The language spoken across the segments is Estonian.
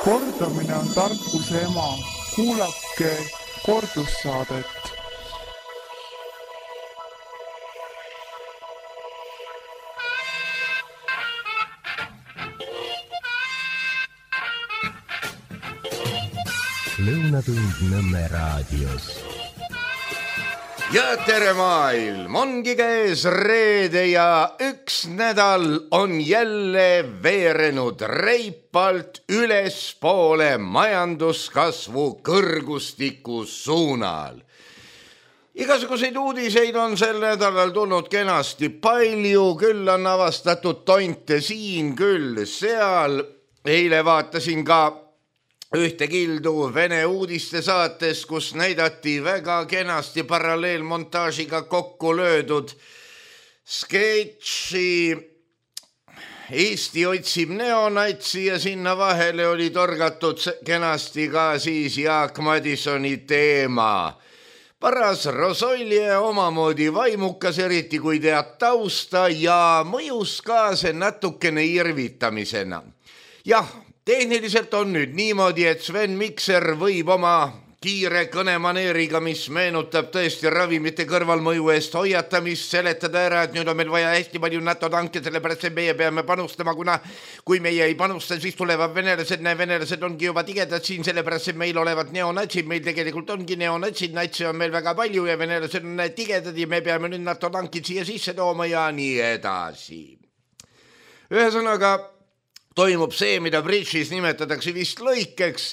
Kordamine on tarkuse ema. Kuulake kordussaadet. Lõunatund Nõmme raadios. Ja tere maailm, ongi käes reede ja üks nädal on jälle veerenud reipalt ülespoole majanduskasvu kõrgustiku suunal. Igasuguseid uudiseid on sel nädalal tulnud kenasti palju, küll on avastatud tonte siin, küll seal. Eile vaatasin ka ühte kildu Vene uudiste saates, kus näidati väga kenasti paralleelmontaažiga kokku löödud sketši Eesti otsib neonatsi ja sinna vahele oli torgatud kenasti ka siis Jaak Madisoni teema. Paras rosolje omamoodi vaimukas, eriti kui tead tausta ja mõjus ka see natukene irvitamisena. Jah, tehniliselt on nüüd niimoodi, et Sven Mikser võib oma kiire kõnemaneeriga, mis meenutab tõesti ravimite kõrvalmõju eest hoiatamist, seletada ära, et nüüd on meil vaja hästi palju NATO tanke, sellepärast et meie peame panustama, kuna kui meie ei panusta, siis tulevad venelased, venelased ongi juba tigedad siin, sellepärast et meil olevad neonatsid, meil tegelikult ongi neonatsid, natsi on meil väga palju ja venelased on tigedad ja me peame nüüd NATO tankid siia sisse tooma ja nii edasi. Ühesõnaga, toimub see, mida bridžis nimetatakse vist lõikeks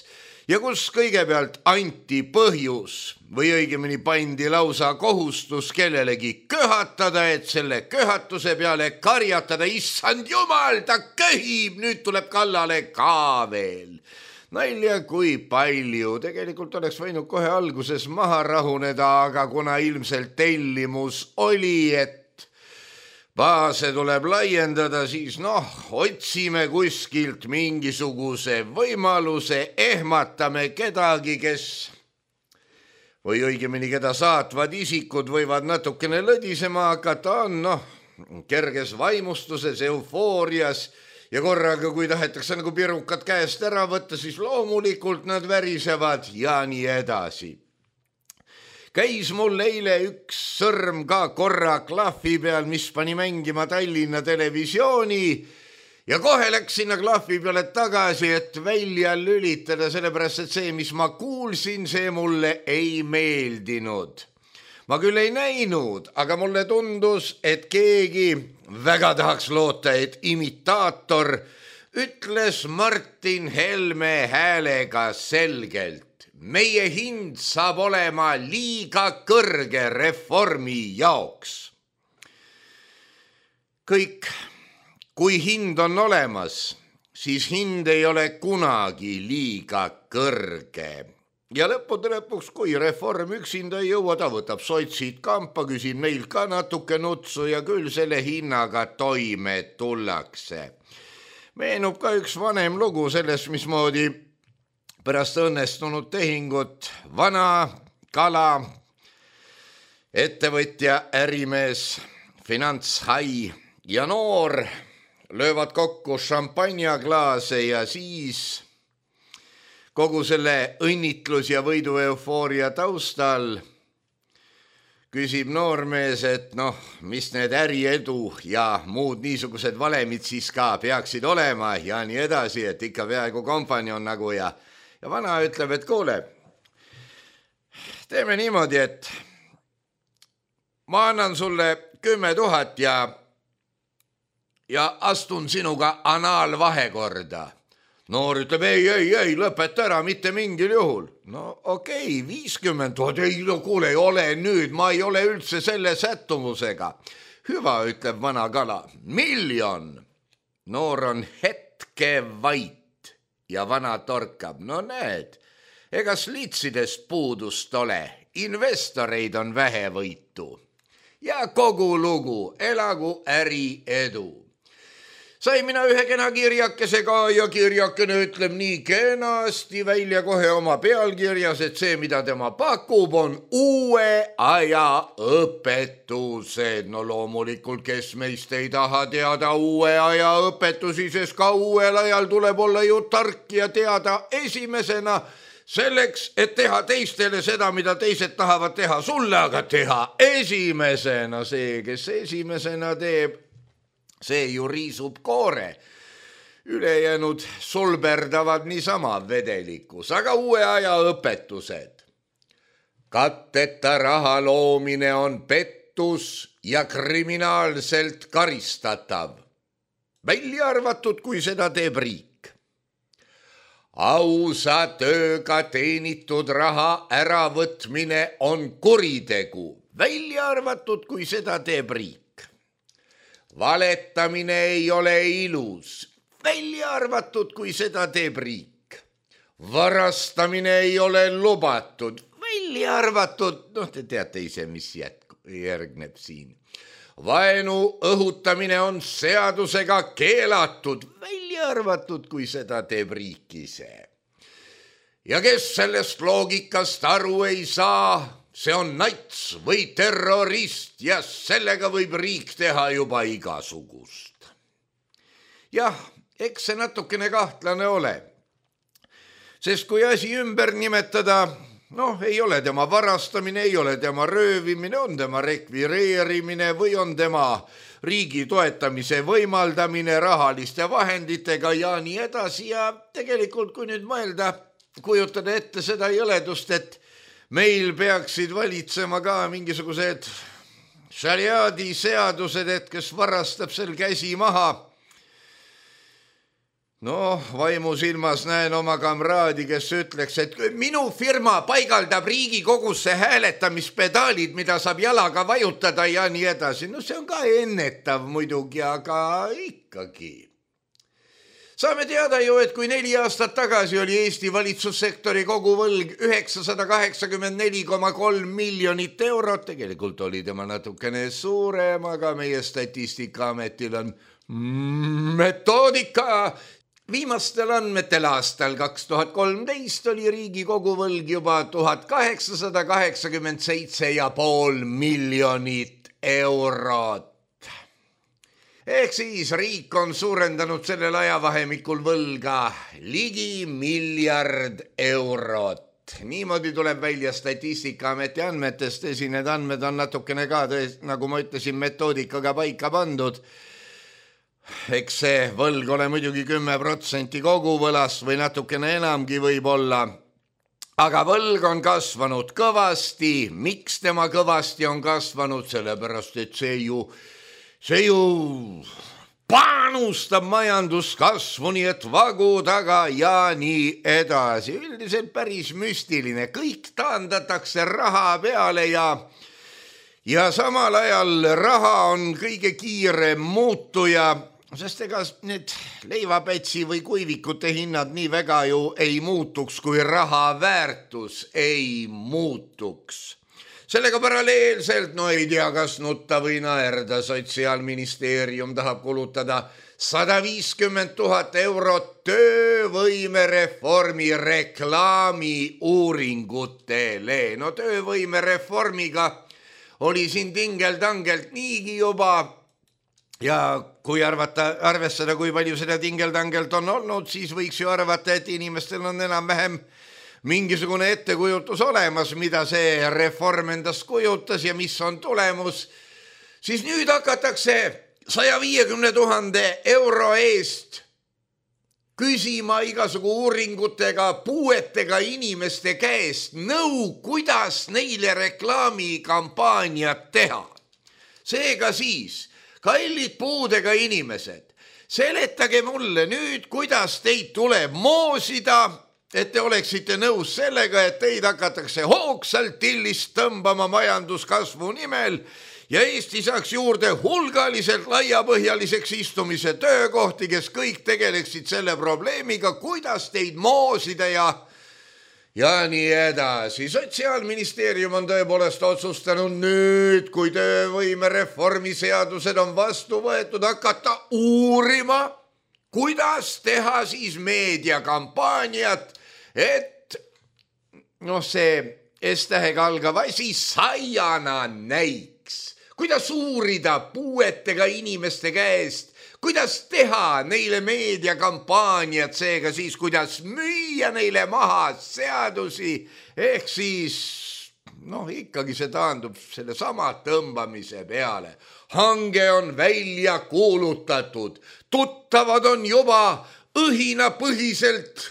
ja kus kõigepealt anti põhjus või õigemini pandi lausa kohustus kellelegi köhatada, et selle köhatuse peale karjatada, issand jumal, ta köhib, nüüd tuleb kallale ka veel. Nalja kui palju, tegelikult oleks võinud kohe alguses maha rahuneda, aga kuna ilmselt tellimus oli, et baase tuleb laiendada, siis otsime kuskilt mingisuguse võimaluse, ehmatame kedagi, kes või õigemini keda saatvad isikud võivad natukene lõdisema hakata, on kerges vaimustuses, eufoorias ja korraga, kui tahetakse nagu pirukad käest ära võtta, siis loomulikult nad värisevad ja nii edasi. Käis mul eile üks sõrm ka korra klahvi peal, mis pani mängima Tallinna Televisiooni ja kohe läks sinna klahvi peale tagasi, et välja lülitada, sellepärast et see, mis ma kuulsin, see mulle ei meeldinud. Ma küll ei näinud, aga mulle tundus, et keegi väga tahaks loota, et imitaator ütles Martin Helme häälega selgelt. Meie hind saab olema liiga kõrge reformi jaoks. Kõik, kui hind on olemas, siis hind ei ole kunagi liiga kõrge. Ja lõppude lõpuks, kui reform üksinda ei jõua, ta võtab sotsid kampa, küsib neilt ka natuke nutsu ja küll selle hinnaga toime tullakse. Meenub ka üks vanem lugu sellest, mismoodi pärast õnnestunud tehingut vana kala, ettevõtja, ärimees, finantshai ja noor löövad kokku šampanjaklaase ja siis kogu selle õnnitlus ja võidu eufooria taustal küsib noormees, et mis need äriedu ja muud niisugused valemid siis ka peaksid olema ja nii edasi, et ikka peaaegu kompanjon nagu ja vana ütleb, et kuule, teeme niimoodi, et ma annan sulle 10 000 ja astun sinuga anaalvahekorda. Noor ütleb, ei, lõpeta ära, mitte mingil juhul. Okei, 50 000, ei, kuule, ei ole nüüd, ma ei ole üldse selle sättumusega. Hüva, ütleb vana kala, 1 000 000. Noor on hetke vait. Ja vana torkab, näed, ega slitsidest puudust ole, investoreid on vähe võitu. Ja kogu lugu, elagu äri edu. Sai mina ühe kena kirjakesega ja kirjakene ütleb nii kenasti välja kohe oma pealkirjas, et see, mida tema pakub, on uue aja õpetused. No loomulikult, kes meist ei taha teada uue aja õpetusi, sest ka uuel ajal tuleb olla ju tark ja teada esimesena selleks, et teha teistele seda, mida teised tahavad teha sulle, aga teha esimesena. See, kes esimesena teeb, see ju riisub koore. Ülejäänud sulberdavad niisama vedelikus, aga uue aja õpetused. Katteta raha loomine on pettus ja kriminaalselt karistatav. Välja arvatud, kui seda teeb riik. Ausa tööga teenitud raha äravõtmine on kuritegu. Välja arvatud, kui seda teeb riik. Valetamine ei ole ilus, välja arvatud, kui seda teeb riik. Varastamine ei ole lubatud, välja arvatud, te teate ise, mis järgneb siin. Vaenu õhutamine on seadusega keelatud, välja arvatud, kui seda teeb riik ise. Ja kes sellest loogikast aru ei saa, see on nats või terrorist ja sellega võib riik teha juba igasugust. Jah, eks see natukene kahtlane ole. Sest kui asi ümber nimetada, ei ole tema varastamine, ei ole tema röövimine, on tema rekvireerimine või on tema riigi toetamise võimaldamine rahaliste vahenditega ja nii edasi. Ja tegelikult, kui nüüd mõelda, kujutada ette seda jõledust, et meil peaksid valitsema ka mingisugused šariaadi seadused, et kes varastab sel käsi maha. Vaimu silmas näen oma kamraadi, kes ütleks, et minu firma paigaldab Riigikogusse hääletamispedaalid, mida saab jalaga vajutada ja nii edasi. See on ka ennetav muidugi, aga ikkagi. Saame teada ju, et kui 4 aastat tagasi oli Eesti valitsussektori koguvõlg 984,3 miljonit eurot, tegelikult oli tema natukene suurem, aga meie Statistikaametil on metoodika. Viimastel andmetel aastal 2013 oli riigi koguvõlg juba 1887,5 miljonit eurot. Ehk siis riik on suurendanud sellel ajavahemikul võlga ligi 1 miljard eurot. Niimoodi tuleb välja Statistikaameti andmetest. Need andmed on natukene ka, nagu ma ütlesin, metoodikaga paika pandud. Eks see võlg ole muidugi 10% koguvõlast või natukene enamgi võib olla. Aga võlg on kasvanud kõvasti. Miks tema kõvasti on kasvanud? Sellepärast, et see ju panustab majanduskasvu, nii et vagu taga ja nii edasi. Üldiselt päris müstiline. Kõik taandatakse raha peale ja samal ajal raha on kõige kiirem muutuja, sest ega need leivapätsi või kuivikute hinnad nii väga ju ei muutuks, kui raha väärtus ei muutuks. Sellega paralleelselt, ei tea, kas nutta või naerda, Sotsiaalministeerium tahab kulutada 150 000 eurot töövõimereformi reklaami uuringutele. Töövõimereformiga oli siin tingeldangelt niigi juba ja kui arvestada, kui palju seda tingeldangelt on olnud, siis võiks ju arvata, et inimestel on enam-vähem mingisugune ettekujutus olemas, mida see reform endast kujutas ja mis on tulemus, siis nüüd hakatakse 150 000 euro eest küsima igasugu uuringutega puuetega inimeste käest nõu, kuidas neile reklaamikampaaniat teha. Seega siis, kallid puudega inimesed, seletage mulle nüüd, kuidas teid tuleb moosida, et te oleksite nõus sellega, et teid hakatakse hoogsalt tillist tõmbama majanduskasvu nimel ja Eesti saaks juurde hulgaliselt laiapõhjaliseks istumise töökohti, kes kõik tegeleksid selle probleemiga, kuidas teid moosida ja nii edasi. Sotsiaalministeerium on tõepoolest otsustanud nüüd, kui töövõimereformi seadused on vastu võetud, hakata uurima, kuidas teha siis meediakampaaniat, et see S-tähega algav asi saiana näiks. Kuidas uurida puuetega inimeste käest, kuidas teha neile meediakampaaniat, seega siis kuidas müüa neile maha seadusi, ehk siis ikkagi see taandub selle sama tõmbamise peale. Hange on välja kuulutatud, tuttavad on juba õhinapõhiselt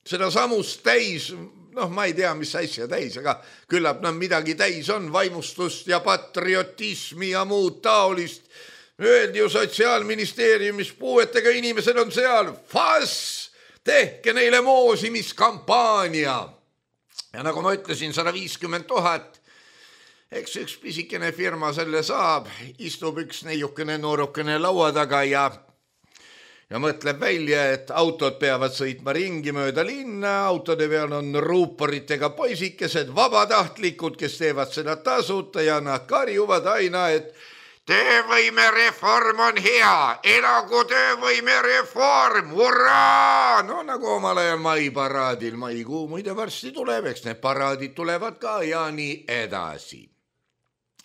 seda samust täis, ma ei tea, mis asja täis, aga küllap midagi täis on, vaimustust ja patriotismi ja muud taolist. Öeldi ju Sotsiaalministeeriumis, puuetega inimesed on seal, tehke neile moosimiskampaania. Ja nagu ma ütlesin, 150 000, eks üks pisikene firma selle saab, istub üks neiukene noorukene laua taga ja mõtleb välja, et autod peavad sõitma ringi mööda linna, autode peal on ruuporitega poisikesed, vabatahtlikud, kes teevad seda tasuta ja nad karjuvad aina, et töövõimereform on hea, elagu töövõimereform, hurraa! Nagu omal ajal maiparaadil, maikuu muide varsti tuleb, eks need paraadid tulevad ka ja nii edasi.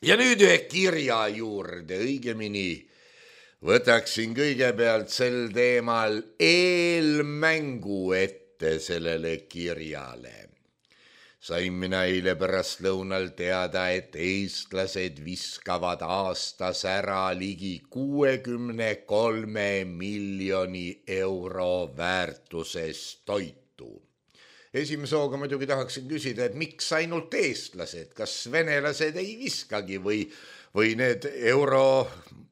Ja nüüd ühe kirja juurde, õigemini võtaksin kõigepealt sel teemal eelmängu ette sellele kirjale. Sain mina eile pärastlõunal teada, et eestlased viskavad aastas ära ligi 63 miljoni euro väärtuses toitu. Esimese hooga muidugi tahaksin küsida, et miks ainult eestlased, kas venelased ei viskagi või need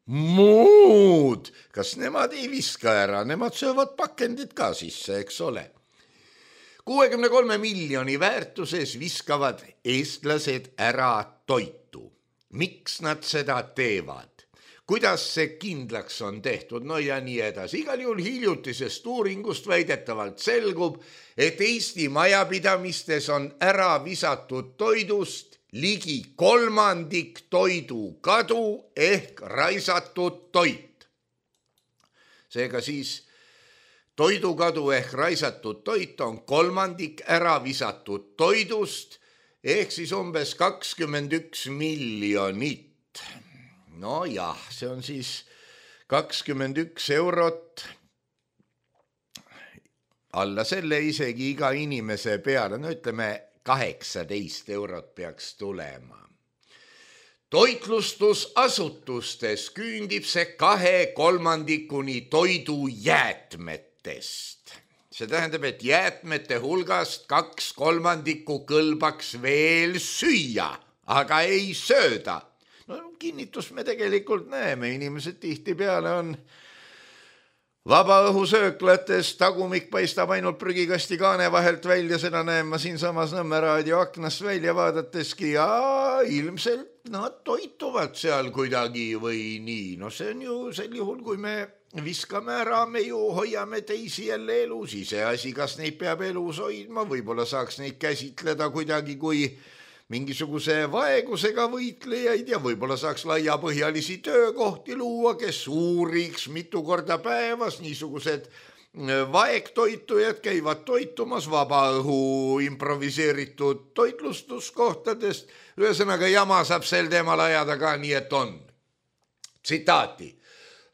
muud, kas nemad ei viska ära, nemad söövad pakendid ka sisse, eks ole. 63 miljoni väärtuses viskavad eestlased ära toitu. Miks nad seda teevad? Kuidas see kindlaks on tehtud? Ja nii edasi. Igal juhul hiljutisest uuringust väidetavalt selgub, et Eesti majapidamistes on ära visatud toidust ligi 1/3 toidu kadu ehk raisatud toit. Seega siis toidukadu ehk raisatud toit on 1/3 ära visatud toidust ehk siis umbes 21 miljonit. See on siis 21 eurot, alla selle isegi iga inimese peale, ütleme 18 eurot peaks tulema. Toitlustusasutustes küündib see 2/3 toidujäätmetest. See tähendab, et jäätmete hulgast 2/3 kõlbaks veel süüa, aga ei sööda. Kinnitust me tegelikult näeme, inimesed tihtipeale on vabaõhusööklates, tagumik paistab ainult prügikasti kaane vahelt välja, seda näen ma siinsamas Nõmme raadio aknast välja vaadateski ja ilmselt nad toituvad seal kuidagi või nii. See on ju sel juhul, kui me viskame ära, me ju hoiame teisi jälle elus, iseasi, kas neid peab elus hoidma, võib-olla saaks neid käsitleda kuidagi kui mingisuguse vaegusega võitlejaid ja võib-olla saaks laiapõhjalisi töökohti luua, kes uuriks mitu korda päevas, niisugused vaegtoitujad käivad toitumas vabaõhu improviseeritud toitlustuskohtadest. Ühesõnaga jama saab sel teemal ajada ka nii, et on. Tsitaati.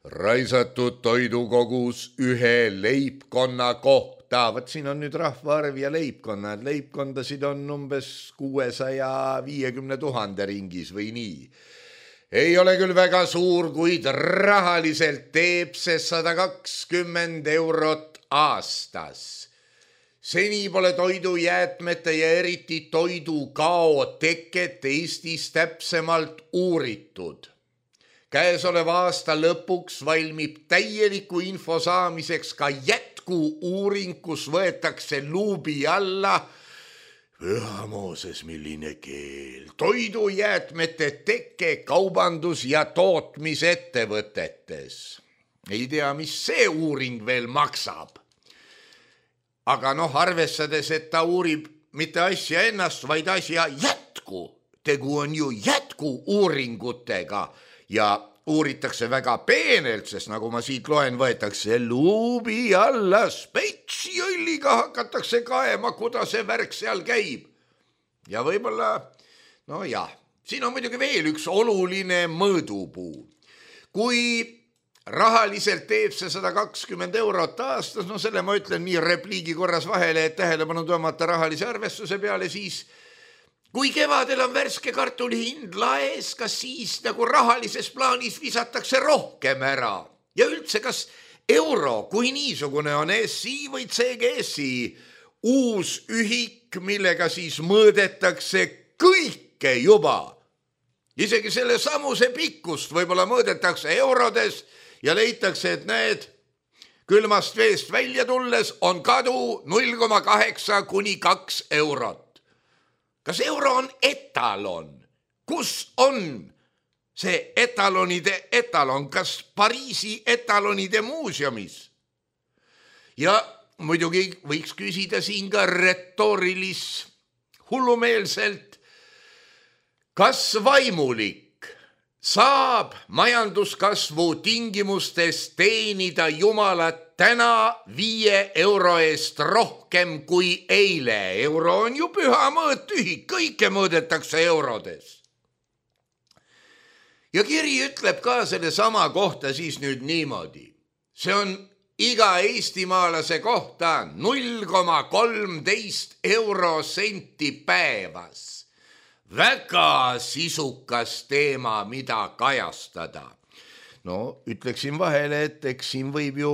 Raisatud toidukogus ühe leibkonna kohta. Võt siin on nüüd rahvaarv ja leibkonnad. Leibkondasid on umbes 650 000 ringis või nii. Ei ole küll väga suur, kuid rahaliselt teeb see 120 eurot aastas. Seni pole toidujäätmete ja eriti toidukao teket Eestis täpsemalt uuritud. Käesoleva aasta lõpuks valmib täieliku info saamiseks ka jätku-uuring, kus võetakse luubi alla Püha Mooses, milline keel. Toidujäätmete teke kaubandus- ja tootmisettevõtetes. Ei tea, mis see uuring veel maksab. Aga arvestades, et ta uurib mitte asja ennast, vaid asja jätku. Tegu on ju jätku-uuringutega ja uuritakse väga peenelt, sest nagu ma siit loen, võetakse luubi alla, spetsjõlliga hakatakse kaema, kuidas see värk seal käib. Ja võib-olla, no jah, siin on muidugi veel üks oluline mõõdupuu. Kui rahaliselt teeb see 120 eurot aastas, no selle ma ütlen nii repliigi korras vahele, et tähelepanu tõmmata rahalise arvestuse peale, siis kui kevadel on värske kartuli hind laes, kas siis nagu rahalises plaanis visatakse rohkem ära? Ja üldse, kas euro kui niisugune on SI või CGSi uus ühik, millega siis mõõdetakse kõike juba? Isegi selle samuse pikkust võib-olla mõõdetakse eurodes ja leitakse, et need külmast veest välja tulles on kadu 0,8 kuni 2 eurot. Kas euro on etalon? Kus on see etalonide etalon? Kas Pariisi etalonide muuseumis? Ja muidugi võiks küsida siin ka retoorilis hullumeelselt, kas vaimulik saab majanduskasvu tingimustes teenida Jumalat täna 5 euro eest rohkem kui eile? Euro on ju püha mõõttühik, kõike mõõdetakse eurodes. Ja kiri ütleb ka selle sama kohta siis nüüd niimoodi. See on iga eestimaalase kohta 0,13 eurosenti päevas. Väga sisukas teema, mida kajastada. No, ütleksin vahele, et eks siin võib ju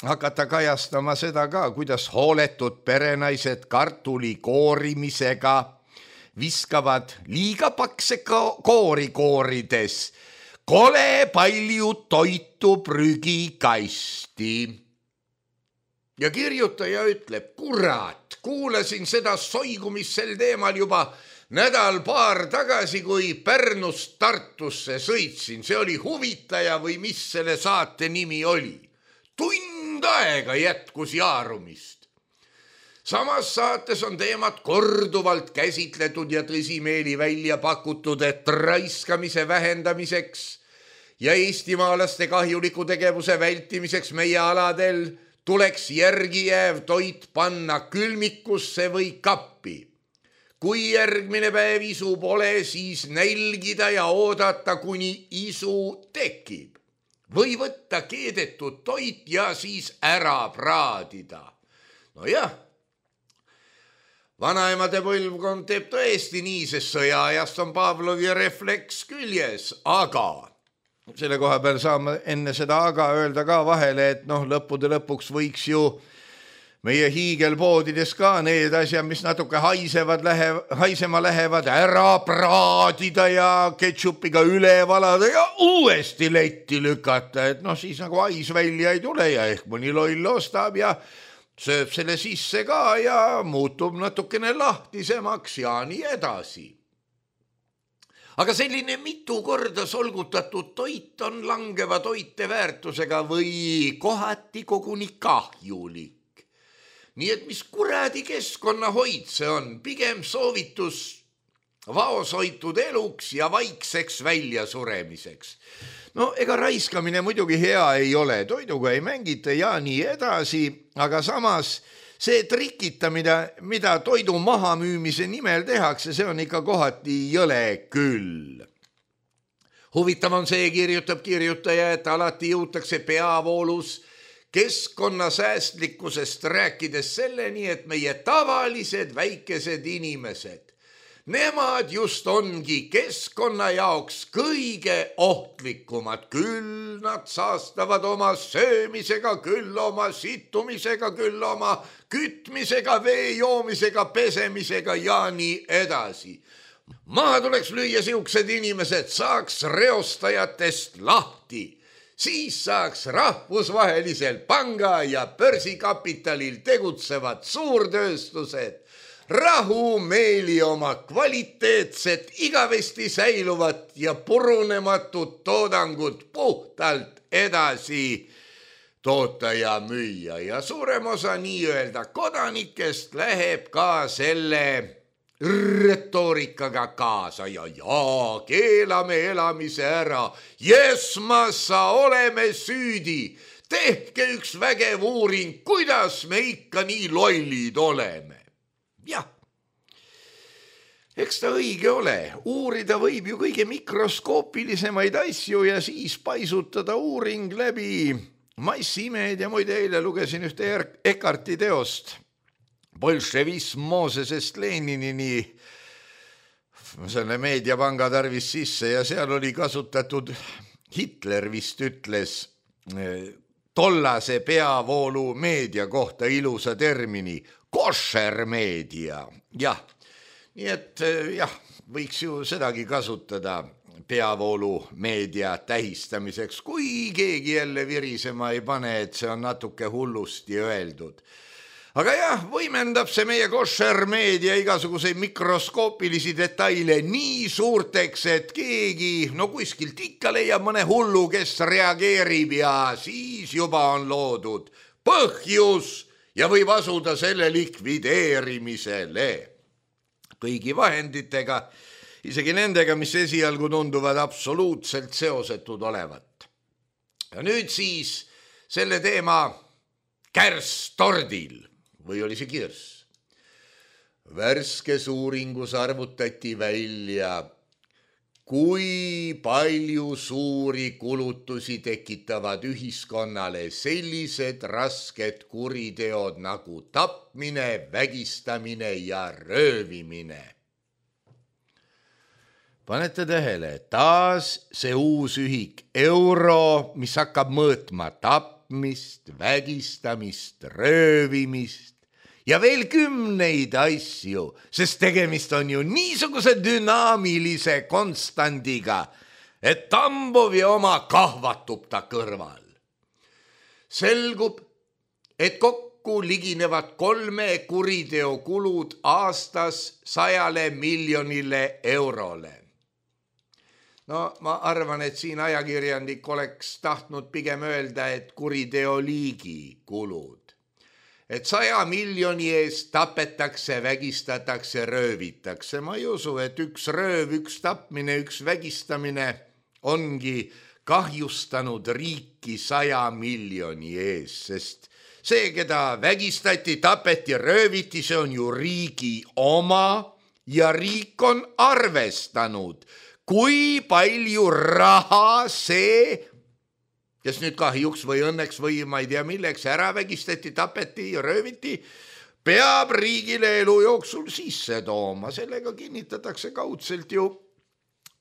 hakata kajastama seda ka, kuidas hooletud perenaised kartuli koorimisega viskavad liiga pakse koori koorides kole palju toitu prügikasti. Ja kirjutaja ütleb, kurat, kuulasin seda soigumist sel teemal juba nädal-paar tagasi, kui Pärnust Tartusse sõitsin. See oli Huvitaja või mis selle saate nimi oli. Tund aega jätkus jaarumist. Samas saates on teemat korduvalt käsitletud ja tõsimeeli välja pakutud, et raiskamise vähendamiseks ja eestimaalaste kahjuliku tegevuse vältimiseks meie aladel tuleks järgi jääv toit panna külmikusse või kappi. Kui järgmine päev isu pole, siis nälgida ja oodata, kuni isu tekib. Või võtta keedetud toit ja siis ära praadida. No jah, vanaemade põlvkond teeb tõesti nii, sest sõjaajast on Pavlovi refleks küljes, aga selle koha peal saame enne seda aga öelda ka vahele, et lõppude lõpuks võiks ju meie hiigelpoodides ka need asjad, mis natuke haisema lähevad, ära praadida ja ketšupiga üle valada ja uuesti letti lükata, et siis nagu hais välja ei tule ja ehk mõni loll ostab ja sööb selle sisse ka ja muutub natukene lahtisemaks ja nii edasi. Aga selline mitu korda solgutatud toit on langeva toiteväärtusega või kohati koguni kahjulik. Nii et mis kuradi keskkonnahoid see on, pigem soovitus vaoshoitud eluks ja vaikseks väljasuremiseks. No ega raiskamine muidugi hea ei ole, toiduga ei mängita ja nii edasi, aga samas see trikita, mida toidu mahamüümise nimel tehakse, see on ikka kohati jõle küll. Huvitav on see, kirjutab kirjutaja, et alati jõutakse peavoolus keskkonnasäästlikkusest rääkides selleni, et meie tavalised väikesed inimesed, nemad just ongi keskkonna jaoks kõige ohtlikumad. Küll nad saastavad oma söömisega, küll oma situmisega, küll oma kütmisega, vee joomisega, pesemisega ja nii edasi. Maha tuleks lüüa siuksed inimesed, saaks reostajatest lahti. Siis saaks rahvusvahelisel panga ja börsikapitalil tegutsevad suurtööstused rahumeeli oma kvaliteetset, igavesti säiluvat ja purunematut toodangut puhtalt edasi toota ja müüa ja suurem osa nii-öelda kodanikest läheb ka selle retoorikaga kaasa ja keelame elamise ära. Jesmassa oleme süüdi. Tehke üks vägev uuring, kuidas me ikka nii lollid oleme. Jah, eks ta õige ole. Uurida võib ju kõige mikroskoopilisemaid asju ja siis paisutada uuring läbi massiimeed ja muide eile lugesin ühte Eckarti teost. Bolševism Moosesest Leninini selle meediapanga tarvis sisse ja seal oli kasutatud, Hitler vist ütles tollase peavoolu meedia kohta ilusa termini, košer meedia. Jah, nii et jah, võiks ju sedagi kasutada peavoolu meedia tähistamiseks, kui keegi jälle virisema ei pane, et see on natuke hullusti öeldud. Aga jah, võimendab see meie košer meedia igasuguseid mikroskoopilisi detaile nii suurteks, et keegi kuskilt ikka leiab mõne hullu, kes reageerib ja siis juba on loodud põhjus ja võib asuda selle likvideerimisele. Kõigi vahenditega, isegi nendega, mis esialgu tunduvad absoluutselt seosetud olevat. Ja nüüd siis selle teema kärstordil. Või oli see kirss? Värskes uuringus arvutati välja, kui palju suuri kulutusi tekitavad ühiskonnale sellised rasked kuriteod nagu tapmine, vägistamine ja röövimine. Panete tähele, taas see uus ühik euro, mis hakkab mõõtma tapmist, vägistamist, röövimist ja veel kümneid asju, sest tegemist on ju niisuguse dünaamilise konstandiga, et Tambovi oma kahvatub ta kõrval. Selgub, et kokku liginevad 3 kuriteo kulud aastas 100 miljonile eurole. No ma arvan, et siin ajakirjandik oleks tahtnud pigem öelda, et kuriteo liigi kulud. Et 100 miljoni eest tapetakse, vägistatakse, röövitakse. Ma ei usu, et üks rööv, üks tapmine, üks vägistamine ongi kahjustanud riiki 100 miljoni ees, sest see, keda vägistati, tapeti, rööviti, see on ju riigi oma ja riik on arvestanud, kui palju raha see, kes nüüd kahjuks või õnneks või ma ei tea milleks ära vägistati, tapeti ja rööviti, peab riigile elu jooksul sisse tooma. Sellega kinnitatakse kaudselt ju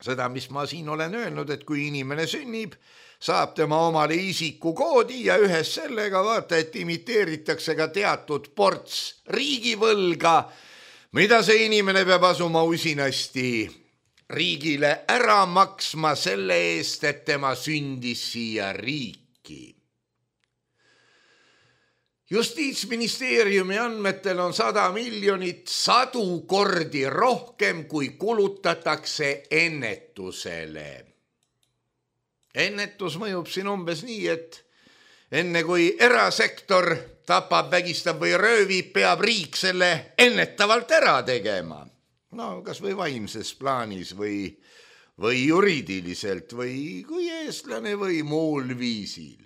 seda, mis ma siin olen öelnud, et kui inimene sünnib, saab tema omale isikukoodi ja ühes sellega vaata, et imiteeritakse ka teatud ports riigivõlga, mida see inimene peab asuma usinasti riigile ära maksma selle eest, et tema sündis siia riiki. Justiitsministeeriumi andmetel on 100 miljonit 100 kordi rohkem, kui kulutatakse ennetusele. Ennetus mõjub siin umbes nii, et enne kui erasektor tapab, vägistab või röövib, peab riik selle ennetavalt ära tegema. No kas või vaimses plaanis või juriidiliselt või kui eestlane või muul viisil.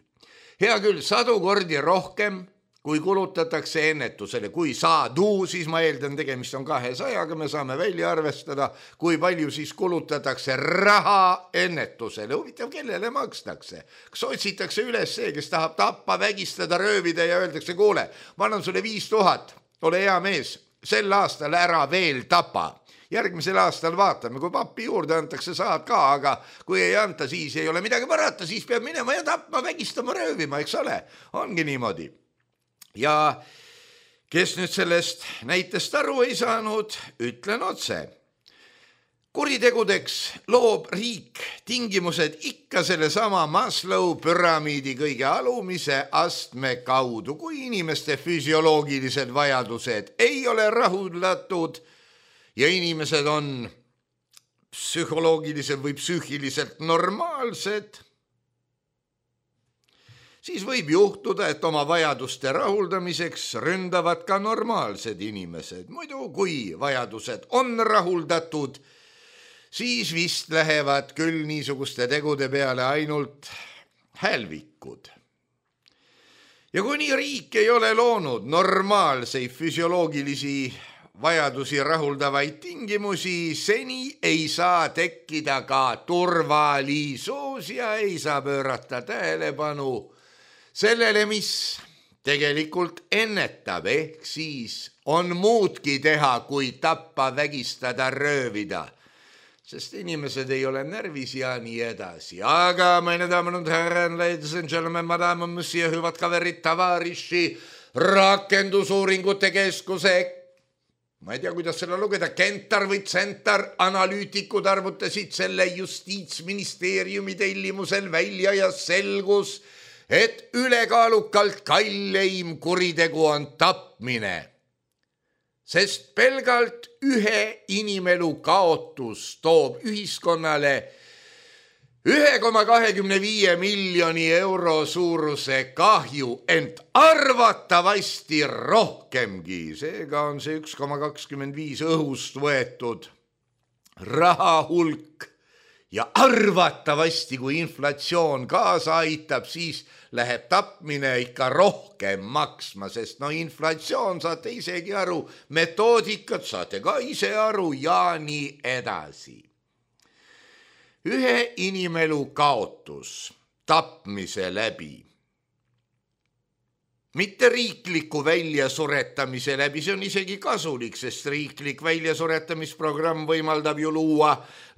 Hea küll, 100 kordi rohkem, kui kulutatakse ennetusele. Kui 100, siis ma eeldan, tegemist on 200-ga, me saame välja arvestada, kui palju siis kulutatakse raha ennetusele. Huvitav, kellele makstakse? Kas otsitakse üles see, kes tahab tappa, vägistada, röövida ja öeldakse, kuule, ma annan sulle 5000, ole hea mees. Sel aastal ära veel tapa. Järgmisel aastal vaatame, kui pappi juurde antakse, saad ka, aga kui ei anta, siis ei ole midagi parata, siis peab minema ja tapma, vägistama, röövima, eks ole? Ongi niimoodi. Ja kes nüüd sellest näitest aru ei saanud, ütlen otse. Kuritegudeks loob riik tingimused ikka selle sama Maslow püramiidi kõige alumise astme kaudu, kui inimeste füsioloogilised vajadused ei ole rahuldatud ja inimesed on psühholoogiliselt või psüühiliselt normaalsed, siis võib juhtuda, et oma vajaduste rahuldamiseks ründavad ka normaalsed inimesed. Muidu, kui vajadused on rahuldatud, siis vist lähevad küll niisuguste tegude peale ainult hälvikud. Ja kuni riik ei ole loonud normaalseid füsioloogilisi vajadusi rahuldavaid tingimusi, seni ei saa tekkida ka turvalisus ja ei saa pöörata tähelepanu sellele, mis tegelikult ennetab, ehk siis on muudki teha, kui tappa, vägistada, röövida. Sest inimesed ei ole närvis ja nii edasi. Aga meine Damen und Herren, ladies and gentlemen, madame, monsieur, hüvad kaverid, tavariši, rakendusuuringute keskuse, ma ei tea, kuidas selle lugeda, Kentar või Centar, analüütikud arvutasid selle Justiitsministeeriumi tellimusel välja ja selgus, et ülekaalukalt kalleim kuritegu on tapmine. Sest pelgalt ühe inimelu kaotus toob ühiskonnale 1,25 miljoni euro suuruse kahju, ent arvatavasti rohkemgi. Seega on see 1,25 õhust võetud raha hulk ja arvatavasti, kui inflatsioon kaasa aitab, siis läheb tapmine ikka rohkem maksma, sest inflatsioon saate isegi aru, metoodikat saate ka ise aru ja nii edasi. Ühe inimelu kaotus tapmise läbi, mitte riikliku väljasuretamise läbi, see on isegi kasulik, sest riiklik väljasuretamisprogramm võimaldab ju luua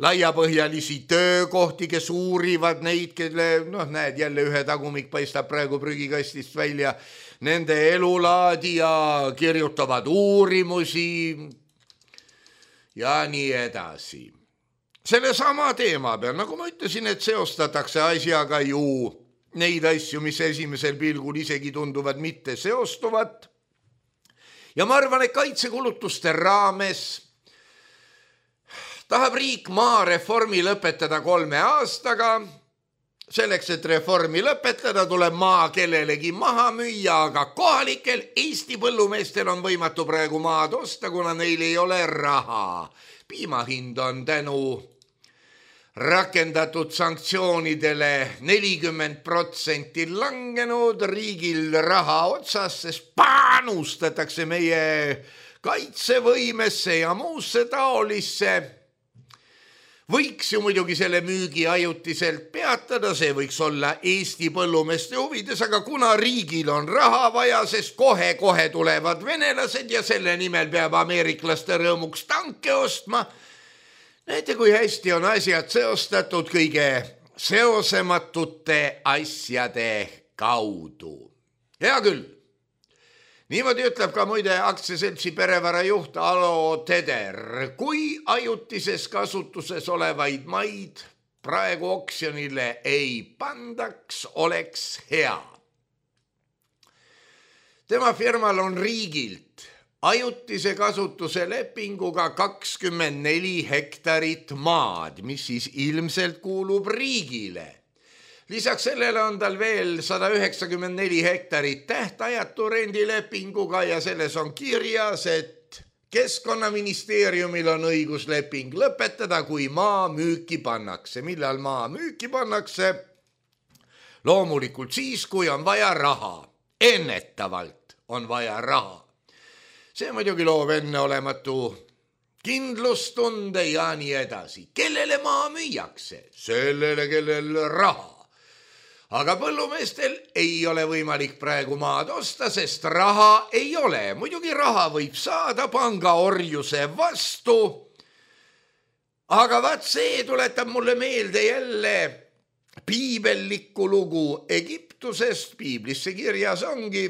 laiapõhjalisi töökohti, kes uurivad neid, kelle, näed, jälle ühe tagumik paistab praegu prügikastist välja, nende elulaadi ja kirjutavad uurimusi ja nii edasi. Selle sama teema peal, nagu ma ütlesin, et seostatakse asjaga ju neid asju, mis esimesel pilgul isegi tunduvad mitte seostuvat. Ja ma arvan, et kaitsekulutuste raames tahab riik maareformi lõpetada 3 aastaga. Selleks, et reformi lõpetada, tuleb maa kellelegi maha müüa, aga kohalikel Eesti põllumeestel on võimatu praegu maad osta, kuna neil ei ole raha. Piimahind on tänu rakendatud sanktsioonidele 40% langenud, riigil raha otsas, sest panustatakse meie kaitsevõimesse ja muusse taolisse. Võiks ju muidugi selle müügi ajutiselt peatada, see võiks olla Eesti põllumeeste huvides, aga kuna riigil on raha vaja, sest kohe tulevad venelased ja selle nimel peab ameeriklaste rõõmuks tanke ostma, näete, kui hästi on asjad seostatud kõige seosematute asjade kaudu. Hea küll. Niimoodi ütleb ka muide aktsiaseltsi perevara juht Alo Teder. Kui ajutises kasutuses olevaid maid praegu oksjonile ei pandaks, oleks hea. Tema firmal on riigilt ajutise kasutuse lepinguga 24 hektarit maad, mis siis ilmselt kuulub riigile. Lisaks sellele on tal veel 194 hektarit tähtajatu rendilepinguga ja selles on kirjas, et Keskkonnaministeeriumil on õigusleping lõpetada, kui maa müüki pannakse. Millal maa müüki pannakse? Loomulikult siis, kui on vaja raha. Ennetavalt on vaja raha. See muidugi loob enneolematu kindlustunde ja nii edasi. Kellele maa müüakse? Sellele, kellel raha. Aga põllumeestel ei ole võimalik praegu maad osta, sest raha ei ole. Muidugi raha võib saada pangaorjuse vastu. Aga vaat see tuletab mulle meelde jälle piibellikku lugu Egiptusest. Piiblisse kirjas ongi.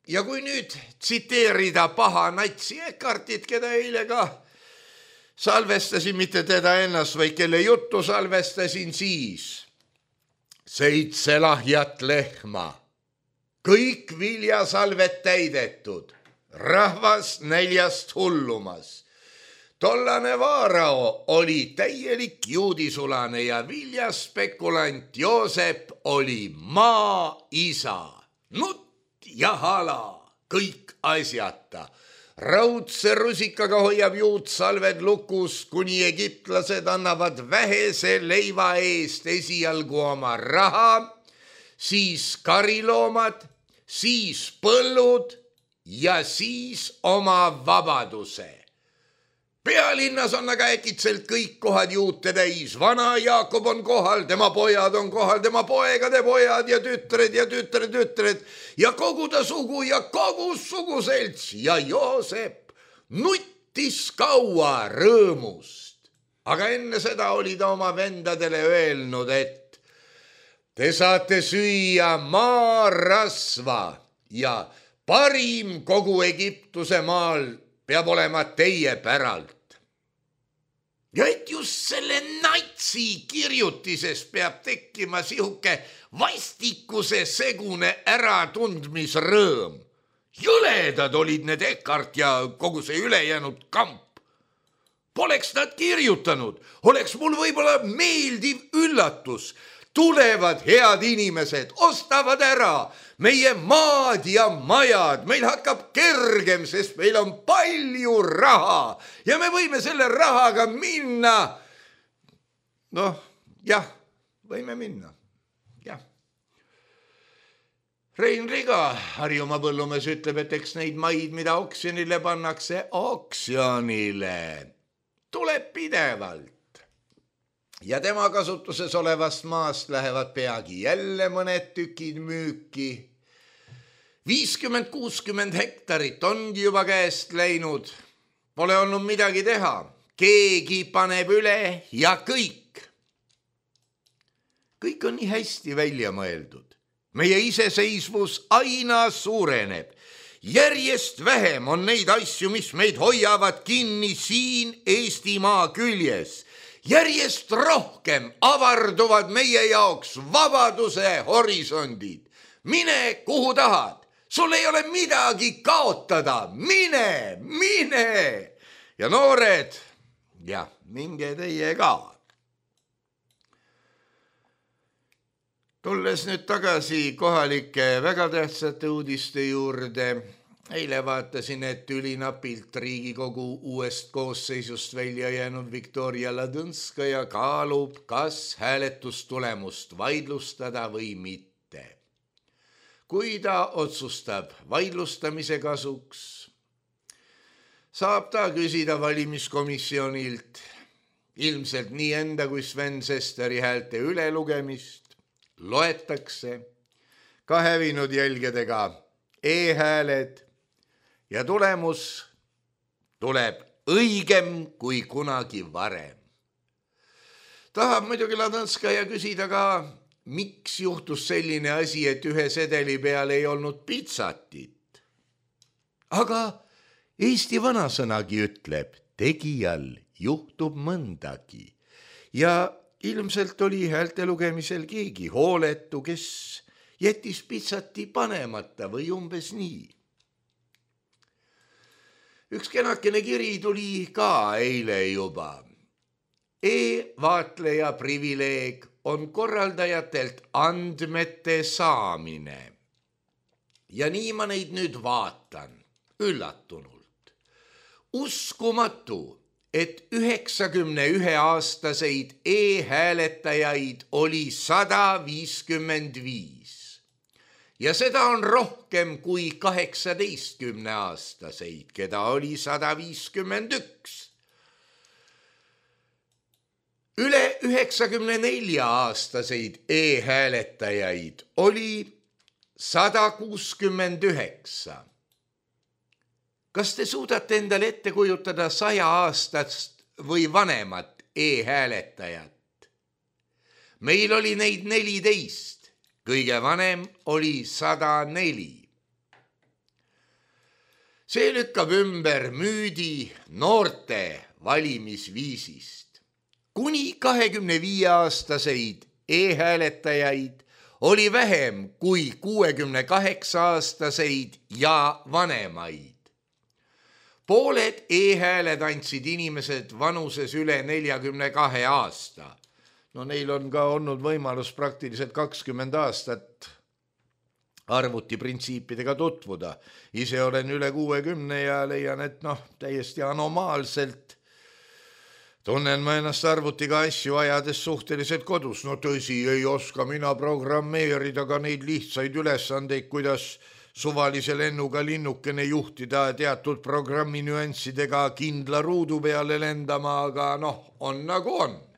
Ja kui nüüd tsiteerida paha natsi Ekartit, keda eile ka salvestasin, mitte teda ennast, vaid kelle juttu salvestasin, siis 7 lahjat lehma, kõik viljasalved täidetud, rahvas näljast hullumas. Tollane Vaarao oli täielik juudisulane ja viljaspekulant Joosep oli maaisa. Nutt ja hala, kõik asjata. Raudse rusikaga hoiab juutsalved lukus, kuni egiptlased annavad vähese leiva eest esialgu oma raha, siis kariloomad, siis põllud ja siis oma vabaduse. Pealinnas on aga äkitselt kõik kohad juute täis. Vana Jaakob on kohal, tema pojad on kohal, tema poegade pojad ja tütred ja kogu ta sugu ja kogu suguselts ja Joosep nuttis kaua rõõmust. Aga enne seda oli ta oma vendadele öelnud, et te saate süüa maarasva ja parim kogu Egiptuse maal peab olema teie päralt. Ja et just selle natsi kirjutises peab tekkima sihuke vastikuse segune äratundmisrõõm. Jõledad olid need Eckart ja kogu see ülejäänud kamp. Poleks nad kirjutanud, oleks mul võib-olla meeldiv üllatus. Tulevad head inimesed, ostavad ära meie maad ja majad, meil hakkab kergem, sest meil on palju raha ja me võime selle rahaga minna. Noh, jah, võime minna, jah. Rein Riga, Harjumaa põllumees, ütleb, et eks neid maid, mida oksjonile pannakse, oksjonile tuleb pidevalt. Ja tema kasutuses olevast maast lähevad peagi jälle mõned tükid müüki. 50-60 hektarit ongi juba käest läinud. Pole olnud midagi teha. Keegi paneb üle ja kõik. Kõik on nii hästi välja mõeldud. Meie iseseisvus aina suureneb. Järjest vähem on neid asju, mis meid hoiavad kinni siin Eestimaa küljes. Järjest rohkem avarduvad meie jaoks vabaduse horisondid. Mine kuhu tahad, sul ei ole midagi kaotada, mine. Ja noored, jah, minge teie ka. Tulles nüüd tagasi kohalike väga tähtsate uudiste juurde, eile vaatasin, et ülinapilt Riigikogu uuest koosseisust välja jäänud Viktoria Ladõnskaja kaalub, kas hääletustulemust vaidlustada või mitte. Kui ta otsustab vaidlustamise kasuks, saab ta küsida valimiskomisjonilt ilmselt nii enda kui Sven Sesteri häälte ülelugemist, loetakse ka hävinud jälgedega e-hääled ja tulemus tuleb õigem kui kunagi varem. Tahab muidugi Ladõnskaja küsida ka, miks juhtus selline asi, et ühe sedeli peal ei olnud pitsatit. Aga Eesti vanasõnagi ütleb, tegijal juhtub mõndagi ja ilmselt oli häälte lugemisel keegi hooletu, kes jättis pitsati panemata või umbes nii. Üks kenakene kiri tuli ka eile juba. E-vaatleja privileeg on korraldajatelt andmete saamine. Ja nii ma neid nüüd vaatan, üllatunult. Uskumatu, et 91-aastaseid e-hääletajaid oli 155. Ja seda on rohkem kui 18-aastaseid, keda oli 151. Üle 94-aastaseid e-hääletajaid oli 169. Kas te suudate endale ette kujutada 100-aastast või vanemat e-hääletajat? Meil oli neid 14. Kõige vanem oli 104. See lükkab ümber müüdi noorte valimisviisist. Kuni 25-aastaseid e-hääletajaid oli vähem kui 68-aastaseid ja vanemaid. Pooled e-hääled andsid inimesed vanuses üle 42 aasta. No neil on ka olnud võimalus praktiliselt 20 aastat arvutiprintsiipidega tutvuda. Ise olen üle 60 ja leian, et täiesti anomaalselt tunnen ma ennast arvutiga asju ajades suhteliselt kodus. No tõsi, ei oska mina programmeerida ka neid lihtsaid ülesandeid, kuidas suvalise lennuga linnukene juhtida teatud programmi nüanssidega kindla ruudu peale lendama, aga on nagu on.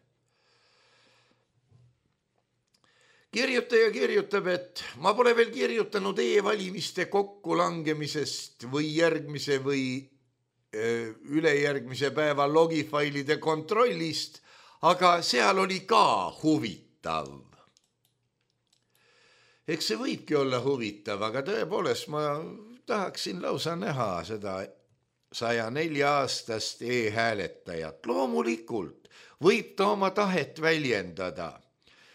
Kirjutaja kirjutab, et ma pole veel kirjutanud e-valimiste kokkulangemisest või järgmise või ülejärgmise päeva logifailide kontrollist, aga seal oli ka huvitav. Eks see võibki olla huvitav, aga tõepoolest ma tahaksin lausa näha seda 104-aastast e-hääletajat. Loomulikult võib ta oma tahet väljendada,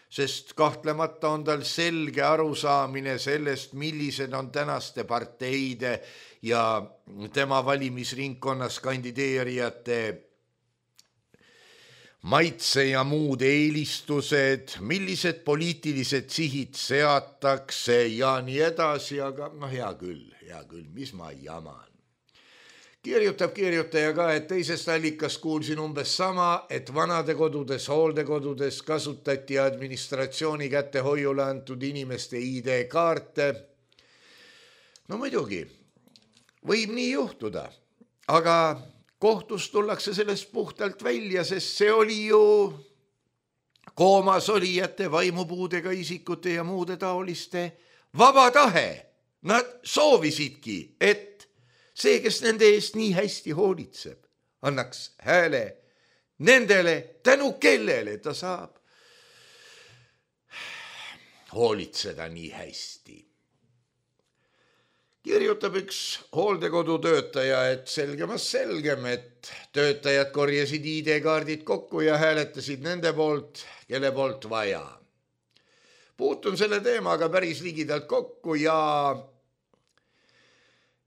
sest kahtlemata on tal selge arusaamine sellest, millised on tänaste parteide ja tema valimisringkonnas kandideerijate maitse ja muud eelistused, millised poliitilised sihid seatakse ja nii edasi, aga hea küll, mis ma jaman. Kirjutab kirjutaja ka, et teisest allikast kuulsin umbes sama, et vanadekodudes, hooldekodudes kasutati administratsiooni kätehoiule antud inimeste ID-kaarte. No muidugi, võib nii juhtuda, aga kohtus tullakse sellest puhtalt välja, sest see oli ju koomas olijate, vaimupuudega isikute ja muude taoliste vaba tahe. Nad soovisidki, et see, kes nende eest nii hästi hoolitseb, annaks hääle nendele, tänu kellele ta saab hoolitseda nii hästi. Kirjutab üks hooldekodu töötaja, et selgem, et töötajad korjasid ID-kaardid kokku ja hääletasid nende poolt, kelle poolt vaja. Puutun selle teemaga päris ligidalt kokku ja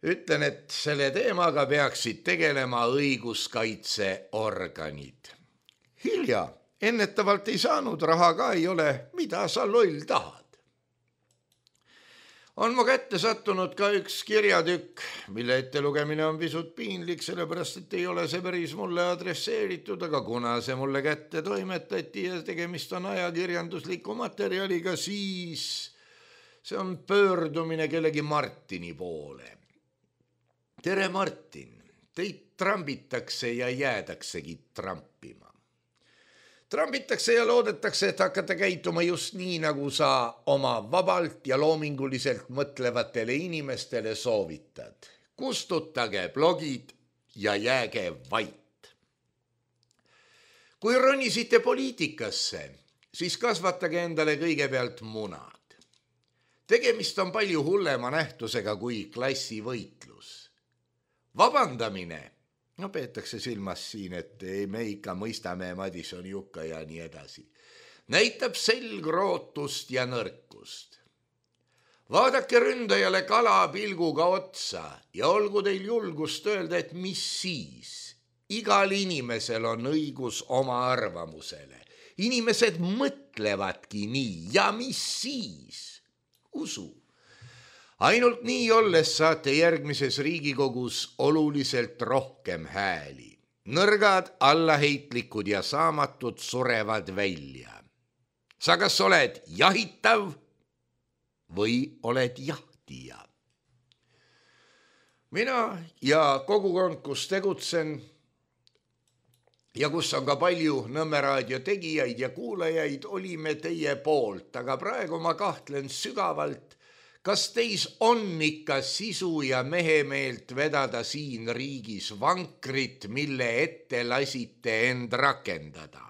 ütlen, et selle teemaga peaksid tegelema õiguskaitseorganid. Hilja, ennetavalt ei saanud, raha ka ei ole, mida sa loll tahad. On mu kätte sattunud ka üks kirjatükk, mille ettelugemine on pisut piinlik, sellepärast, et ei ole see päris mulle adresseeritud, aga kuna see mulle kätte toimetati ja tegemist on ajakirjandusliku materjaliga, siis see on pöördumine kellegi Martini poole. Tere Martin, teid trambitakse ja jäädaksegi trampima. Trambitakse ja loodetakse, et hakkate käituma just nii, nagu sa oma vabalt ja loominguliselt mõtlevatele inimestele soovitad. Kustutage blogid ja jääge vait. Kui ronisite poliitikasse, siis kasvatage endale kõigepealt munad. Tegemist on palju hullema nähtusega kui klassivõitlus. Vabandamine, peetakse silmas siin, et me ikka mõistame Madison Jukka ja nii edasi, näitab selgrootust ja nõrkust. Vaadake ründajale kala pilguga otsa ja olgu teil julgust öelda, et mis siis. Igal inimesel on õigus oma arvamusele. Inimesed mõtlevadki nii ja mis siis? Usu. Ainult nii olles saate järgmises Riigikogus oluliselt rohkem hääli. Nõrgad, allaheitlikud ja saamatud surevad välja. Sa kas oled jahitav või oled jahtija? Mina ja kogukond, kus tegutsen ja kus on ka palju Nõmme raadio tegijaid ja kuulajaid, olime teie poolt, aga praegu ma kahtlen sügavalt, kas teis on ikka sisu ja mehemeelt vedada siin riigis vankrit, mille ette lasite end rakendada?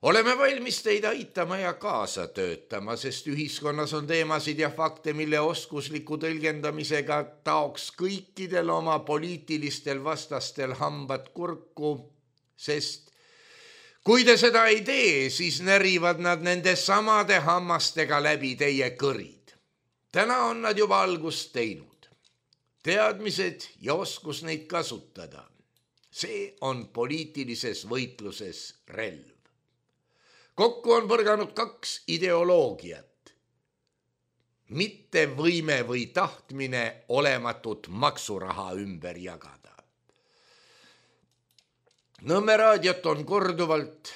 Oleme valmis teid aitama ja kaasa töötama, sest ühiskonnas on teemasid ja fakte, mille oskusliku tõlgendamisega taoks kõikidel oma poliitilistel vastastel hambad kurku, sest kui te seda ei tee, siis närivad nad nende samade hammastega läbi teie kõrid. Täna on nad juba algust teinud. teadmised ja oskus neid kasutada. See on poliitilises võitluses relv. Kokku on põrganud 2 ideoloogiat. Mitte võime või tahtmine olematut maksuraha ümber jagada. Nõmme raadiot on korduvalt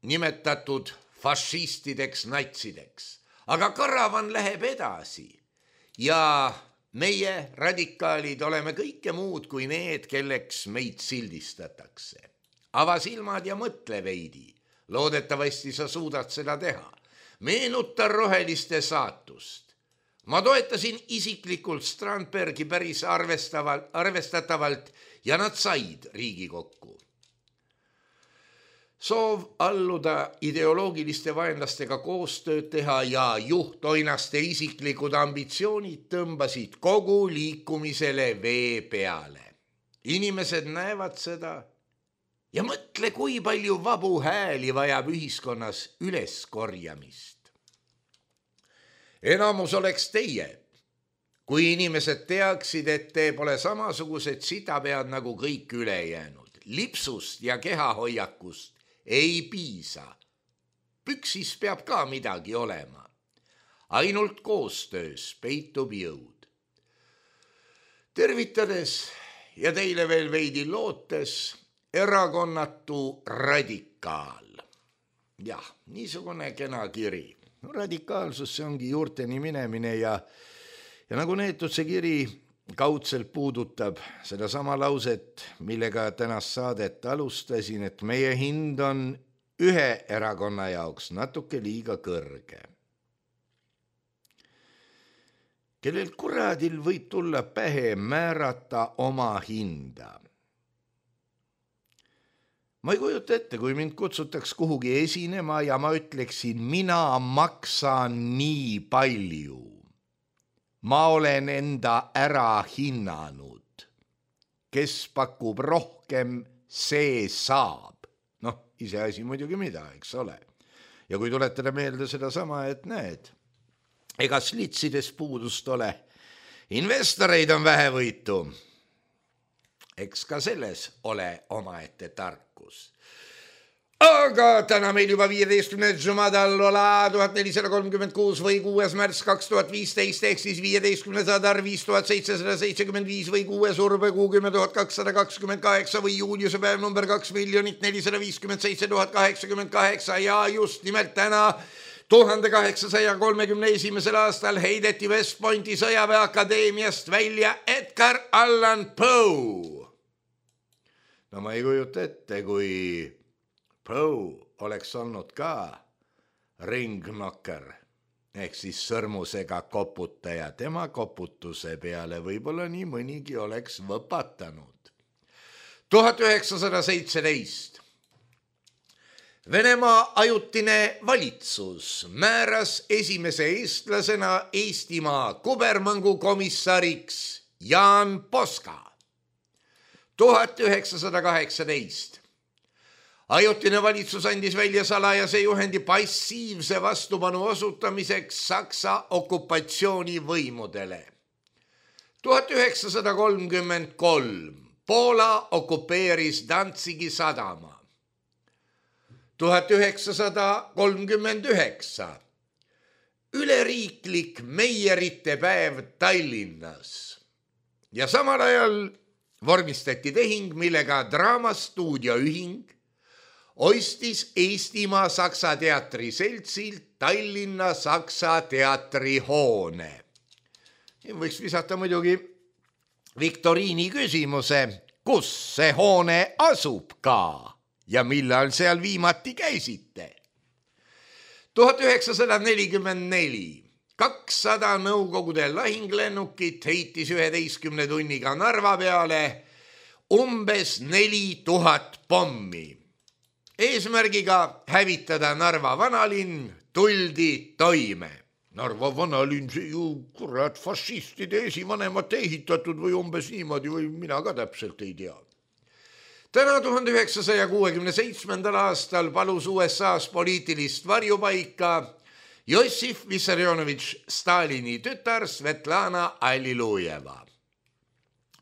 nimetatud fašistideks, natsideks, aga karavan läheb edasi ja meie radikaalid oleme kõike muud kui need, kelleks meid sildistatakse. Ava silmad ja mõtle veidi. Loodetavasti sa suudad seda teha. Meenuta roheliste saatust. Ma toetasin isiklikult Strandbergi päris arvestatavalt ja nad said Riigikokku. Soov alluda ideoloogiliste vaenlastega koostööd teha ja juhtoinaste isiklikud ambitsioonid tõmbasid kogu liikumisele vee peale. Inimesed näevad seda ja mõtle, kui palju vabu hääli vajab ühiskonnas üleskorjamist. Enamus oleks teie, kui inimesed teaksid, et te pole samasugused sitapead nagu kõik ülejäänud. Lipsust ja kehahoiakust ei piisa. Püksis peab ka midagi olema. Ainult koostöös peitub jõud. Tervitades ja teile veel veidi lootes, erakonnatu radikaal. Jah, niisugune kena kiri. Radikaalsus, see ongi juurteni minemine ja nagu neetud see kiri kaudselt puudutab seda sama lauset, millega tänast saadet alustasin, et meie hind on ühe erakonna jaoks natuke liiga kõrge. Kellel kuradil võib tulla pähe määrata oma hinda. Ma ei kujuta ette, kui mind kutsutaks kuhugi esinema ja ma ütleksin, mina maksan nii palju. Ma olen enda ära hinnanud. Kes pakub rohkem, see saab. Iseasi muidugi mida, eks ole. Ja kui tuletada meelde seda sama, et näed, ega slitsides puudust ole. Investoreid on vähevõitu. Eks ka selles ole omaette tarkus. Aga täna meil juba 15. Jumadal-Ola 1436 või 6. märts 2015 ehk siis 15. sadar 5775 või 6. urvekuu 10.228 või juuliuse päev number 2,457,088 ja just nimelt täna 1831. aastal heideti West Pointi sõjaväeakadeemiast välja Edgar Allan Poe. No ma ei kujuta ette, kui Poe oleks olnud ka ringnokker ehk siis sõrmusega koputaja. Tema koputuse peale võib-olla nii mõnigi oleks võpatanud. 1917. Venemaa ajutine valitsus määras esimese eestlasena Eestimaa kubermõngu komissariks Jaan Poska. 1918. Ajutine valitsus andis välja salajase juhendi passiivse vastupanu osutamiseks Saksa okupatsioonivõimudele. 1933. Poola okupeeris Danzigi sadama. 1939. Üleriiklik meierite päev Tallinnas. Ja samal ajal vormistati tehing, millega Draamastuudio ühing ostis Eestimaa Saksa teatri seltsilt Tallinna Saksa teatri hoone. Võiks visata muidugi viktoriini küsimuse, kus see hoone asub ka ja millal seal viimati käisite. 1944. 200 Nõukogude lahinglennukit heitis 11 tunniga Narva peale umbes 4000 pommi. Eesmärgiga hävitada Narva vanalinn tuldi toime. Narva vanalinn, see ju kurat fašistide esivanemate ehitatud või umbes niimoodi või mina ka täpselt ei tea. Täna 1967. aastal palus USA-s poliitilist varjupaika Jossif Vissarionovitš Stalini tütar Svetlana Allilujeva.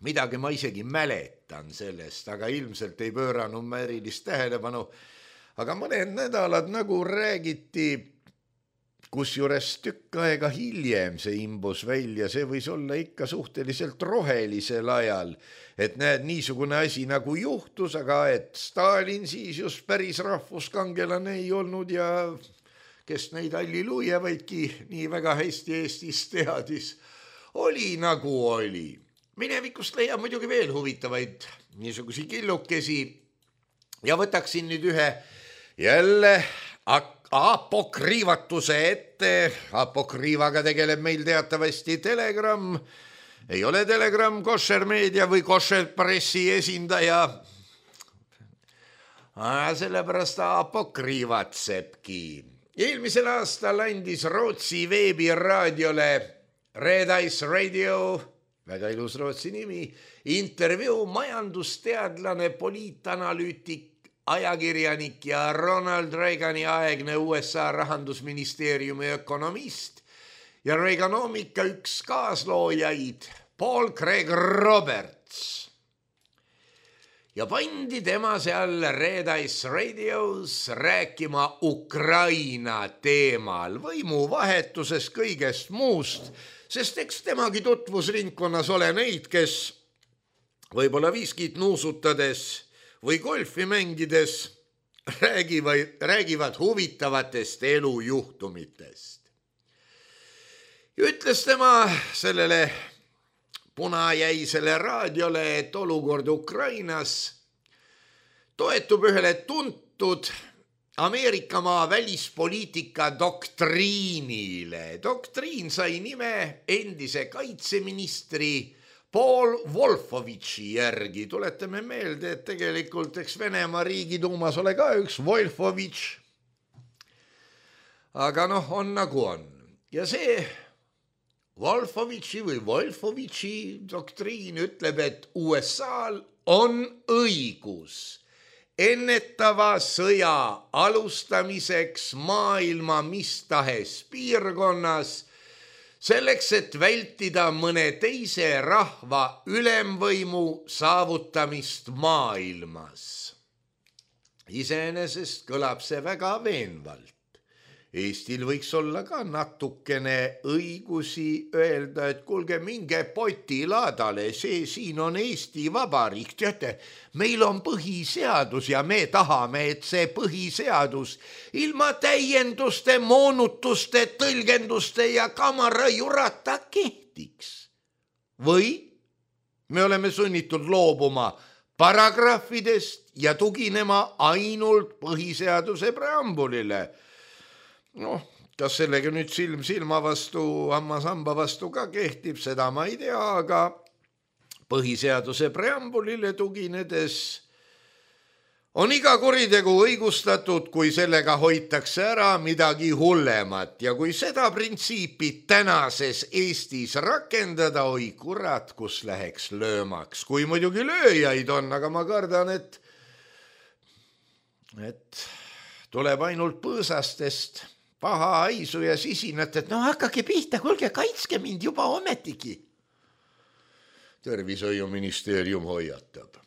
midagi ma isegi mäletan sellest, aga ilmselt ei pööranud ma erilist tähelepanu. Aga mõned nädalad nagu räägiti, kusjuures tükk aega hiljem see imbus välja, see võis olla ikka suhteliselt rohelisel ajal, et näed, niisugune asi nagu juhtus, aga et Stalin siis just päris rahvuskangelane ei olnud ja kes neid Allilujevaidki nii väga hästi Eestis teadis, oli nagu oli. Minevikust leiab muidugi veel huvitavaid niisugusi killukesi ja võtaksin nüüd ühe jälle apokriivatuse ette. Apokriivaga tegeleb meil teatavasti Telegram. Ei ole Telegram Kosher Meedia või Kosher Pressi esindaja. Sellepärast apokriivatsebki. Eelmisel aastal andis Rootsi veebiraadiole Red Ice Radio, väga ilus Rootsi nimi, intervjuu majandusteadlane, poliitanalüütik, ajakirjanik ja Ronald Reagani aegne USA rahandusministeeriumi ökonomist ja Reaganomika üks kaasloojaid Paul Craig Roberts. Ja pandi tema seal Red Ice Radios rääkima Ukraina teemal, võimuvahetusest, kõigest muust, sest eks temagi tutvusringkonnas ole neid, kes võib-olla viskit nuusutades või golfi mängides räägivad huvitavatest elujuhtumitest. Ütles tema sellele punajäisele raadiole, et olukord Ukrainas toetub ühele tuntud Ameerikamaa välispoliitika doktriinile. Doktriin sai nime endise kaitseministri Paul Wolfowitši järgi. Tuletame meelde, et tegelikult eks Venemaa riigiduumas ole ka üks Wolfowitš. Aga on nagu on. Ja see Wolfowitši doktriin ütleb, et USA-l on õigus ennetava sõja alustamiseks maailma mis tahes piirkonnas, selleks, et vältida mõne teise rahva ülemvõimu saavutamist maailmas. Iseenesest kõlab see väga veenvalt. Eestil võiks olla ka natukene õigusi öelda, et kuulge, minge potilaadale, see siin on Eesti Vabariik. Teate, meil on põhiseadus ja me tahame, et see põhiseadus ilma täienduste, moonutuste, tõlgenduste ja kamarajurata kehtiks. Või me oleme sunnitud loobuma paragrahvidest ja tuginema ainult põhiseaduse preambulile. Kas sellega nüüd silm silma vastu, hammas hamba vastu ka kehtib, seda ma ei tea, aga põhiseaduse preambulile tuginedes on iga kuritegu õigustatud, kui sellega hoitakse ära midagi hullemat. Ja kui seda printsiipi tänases Eestis rakendada, oi kurat, kus läheks löömaks. Kui muidugi lööjaid on, aga ma kardan, et tuleb ainult põõsastest paha haisu ja sisinat, et hakkake pihta, kuulge, kaitske mind juba ometigi. Tervishoiuministeerium hoiatab.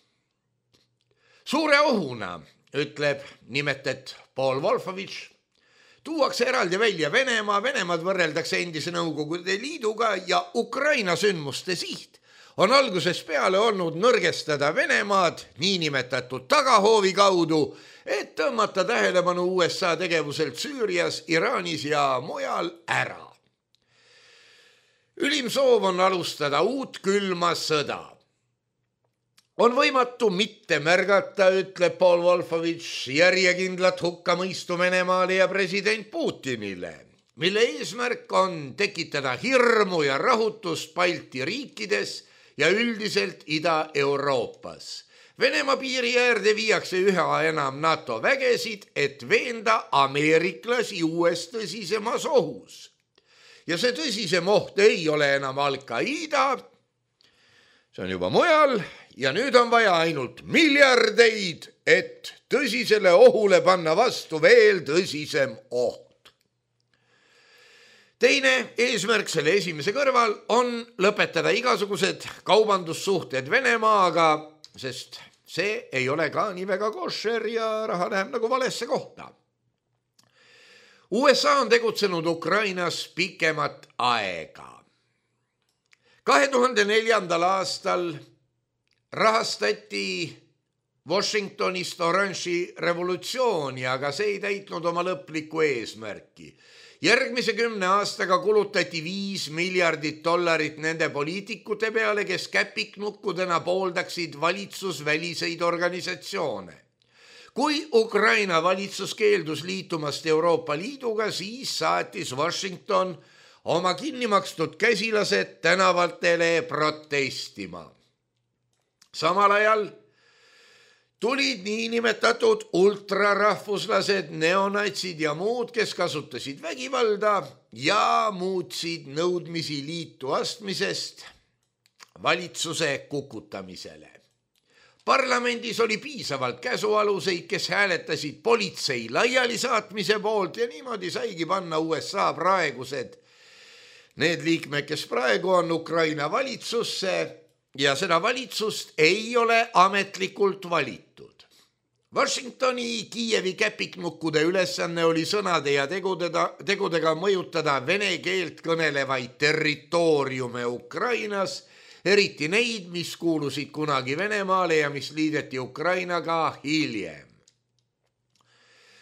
Suure ohuna, ütleb nimetet Paul Wolfowitš, tuuakse eraldi välja Venemaa, Venemaad võrreldakse endise Nõukogude Liiduga ja Ukraina sündmuste siht on algusest peale olnud nõrgestada Venemaad niinimetatud tagahoovi kaudu, et tõmmata tähelepanu USA tegevuselt Süürias, Iraanis ja mujal ära. Ülim soov on alustada uut külma sõda. On võimatu mitte märgata, ütleb Paul Wolfowitš, järjekindlat hukkamõistu Venemaale ja president Putinile, mille eesmärk on tekitada hirmu ja rahutust Balti riikides ja üldiselt Ida-Euroopas. Venemaa piiri äärde viiakse üha enam NATO vägesid, et veenda ameeriklasi uues tõsisemas ohus. Ja see tõsisem oht ei ole enam Al-Qaida, see on juba mujal ja nüüd on vaja ainult miljardeid, et tõsisele ohule panna vastu veel tõsisem oht. Teine eesmärk selle esimese kõrval on lõpetada igasugused kaubandussuhted Venemaaga, sest see ei ole ka nii väga koššer ja raha läheb nagu valesse kohta. USA on tegutsenud Ukrainas pikemat aega. 2004. aastal rahastati Washingtonist oranži revolutsiooni, aga see ei täitnud oma lõplikku eesmärki. Järgmise 10 aastaga kulutati $5 miljardit nende poliitikute peale, kes käpiknukkudena pooldaksid valitsusväliseid organisatsioone. Kui Ukraina valitsus keeldus liitumast Euroopa Liiduga, siis saatis Washington oma kinnimakstud käsilased tänavatele protestima. Samal ajal tulid niinimetatud ultrarahvuslased, neonatsid ja muud, kes kasutasid vägivalda ja muutsid nõudmisi liitu astmisest valitsuse kukutamisele. Parlamendis oli piisavalt käsualuseid, kes hääletasid politsei laialisaatmise poolt ja niimoodi saigi panna USA praegused need liikmed, kes praegu on Ukraina valitsusse, ja seda valitsust ei ole ametlikult valitud. Washingtoni Kiievi käpiknukkude ülesanne oli sõnade ja tegudega mõjutada vene keelt kõnelevaid territooriume Ukrainas, eriti neid, mis kuulusid kunagi Venemaale ja mis liideti Ukrainaga hiljem.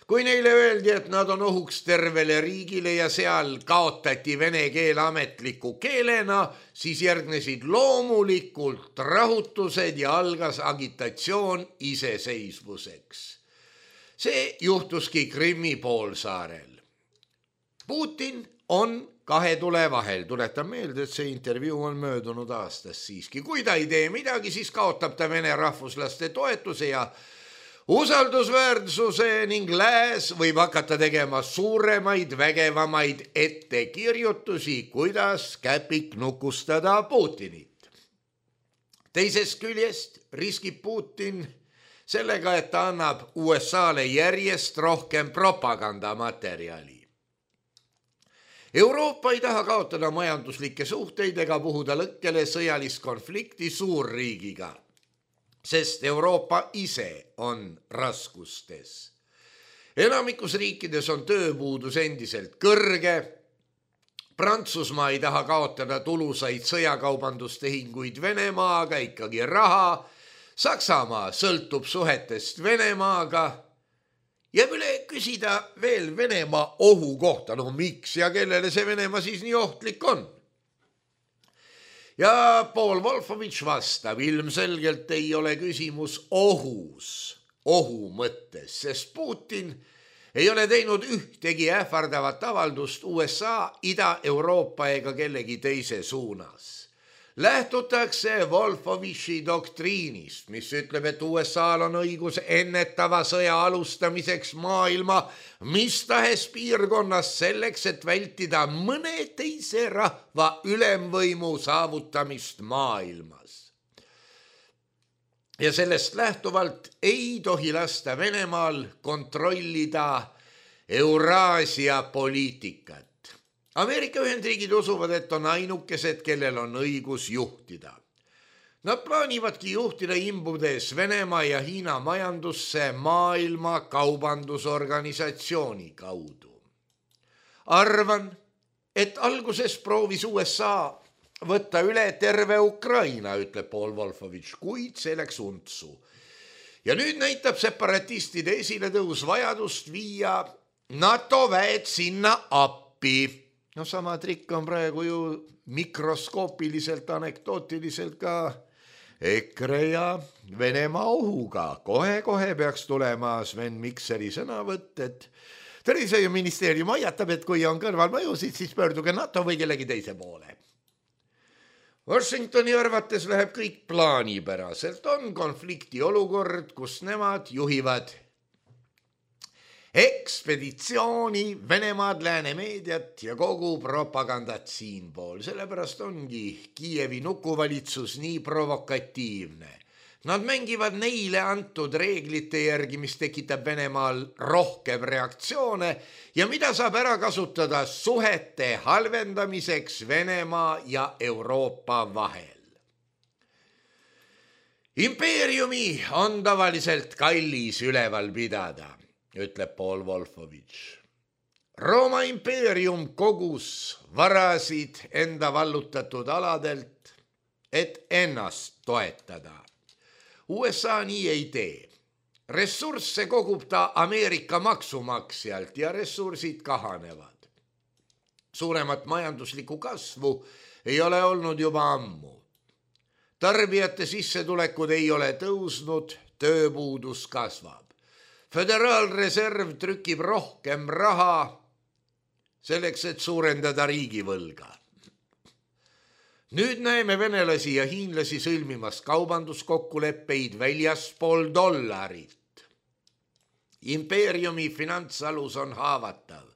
Kui neile öeldi, et nad on ohuks tervele riigile ja seal kaotati vene keel ametliku keelena, siis järgnesid loomulikult rahutused ja algas agitatsioon iseseisvuseks. See juhtuski Krimmi poolsaarel. Putin on kahe tule vahel. Tuletan meelde, et see intervjuu on möödunud aastas siiski. Kui ta ei tee midagi, siis kaotab ta vene rahvuslaste toetuse ja usaldusväärsuse ning lääs võib hakata tegema suuremaid, vägevamaid ettekirjutusi, kuidas käpiknukustada Putinit. Teisest küljest riskib Putin sellega, et ta annab USA-le järjest rohkem propagandamaterjali. Euroopa ei taha kaotada majanduslikke suhteid ega puhuda lõkkele sõjalist konflikti suurriigiga, sest Euroopa ise on raskustes. Enamikus riikides on tööpuudus endiselt kõrge. Prantsusmaa ei taha kaotada tulusaid sõjakaubandustehinguid Venemaaga, ikkagi raha. Saksamaa sõltub suhetest Venemaaga. Jääb üle küsida veel Venemaa ohu kohta. No miks ja kellele see Venemaa siis nii ohtlik on? Ja Paul Wolfowitz vastab, ilmselgelt ei ole küsimus ohu mõttes, sest Putin ei ole teinud ühtegi ähvardavat avaldust USA, Ida-Euroopa ega kellegi teise suunas. Lähtutakse Wolfowitzi doktriinist, mis ütleb, et USA-l on õigus ennetava sõja alustamiseks maailma mis tahes piirkonnas selleks, et vältida mõne teise rahva ülemvõimu saavutamist maailmas. Ja sellest lähtuvalt ei tohi lasta Venemaal kontrollida Euraasia poliitikat. Ameerika Ühendriigid usuvad, et on ainukesed, kellel on õigus juhtida. Nad plaanivadki juhtida imbudes Venemaa ja Hiina majandusse maailma kaubandusorganisatsiooni kaudu. Arvan, et alguses proovis USA võtta üle terve Ukraina, ütleb Paul Wolfowitz, kuid see läks untsu. Ja nüüd näitab separatistide esiletõus vajadust viia NATO väed sinna appi. No sama trikk on praegu ju mikroskoopiliselt, anekdootiliselt ka EKRE ja Venemaa ohuga. Kohe peaks tulema Sven Mikseri sõnavõtt, et tervishoiuministeerium hoiatab, et kui on kõrvalmõjusid, siis pöörduge NATO või kellegi teise poole. Washingtoni arvates läheb kõik plaanipäraselt. On konflikti olukord, kus nemad juhivad ekspeditsiooni, Venemaad, lääne meediat ja kogu propagandat siinpool. Sellepärast ongi Kiievi nukuvalitsus nii provokatiivne. Nad mängivad neile antud reeglite järgi, mis tekitab Venemaal rohkem reaktsioone ja mida saab ära kasutada suhete halvendamiseks Venemaa ja Euroopa vahel. Impeeriumi on tavaliselt kallis üleval pidada, ütleb Paul Wolfowitš. Rooma impeerium kogus varasid enda vallutatud aladelt, et ennast toetada. USA nii ei tee. Ressursse kogub ta Ameerika maksumaksjalt ja ressursid kahanevad. Suuremat majanduslikku kasvu ei ole olnud juba ammu. Tarbijate sissetulekud ei ole tõusnud, tööpuudus kasvab. Föderaalreserv trükib rohkem raha selleks, et suurendada riigivõlga. Nüüd näeme venelasi ja hiinlasi sõlmimas kaubanduskokkuleppeid väljaspool dollarit. Impeeriumi finantsalus on haavatav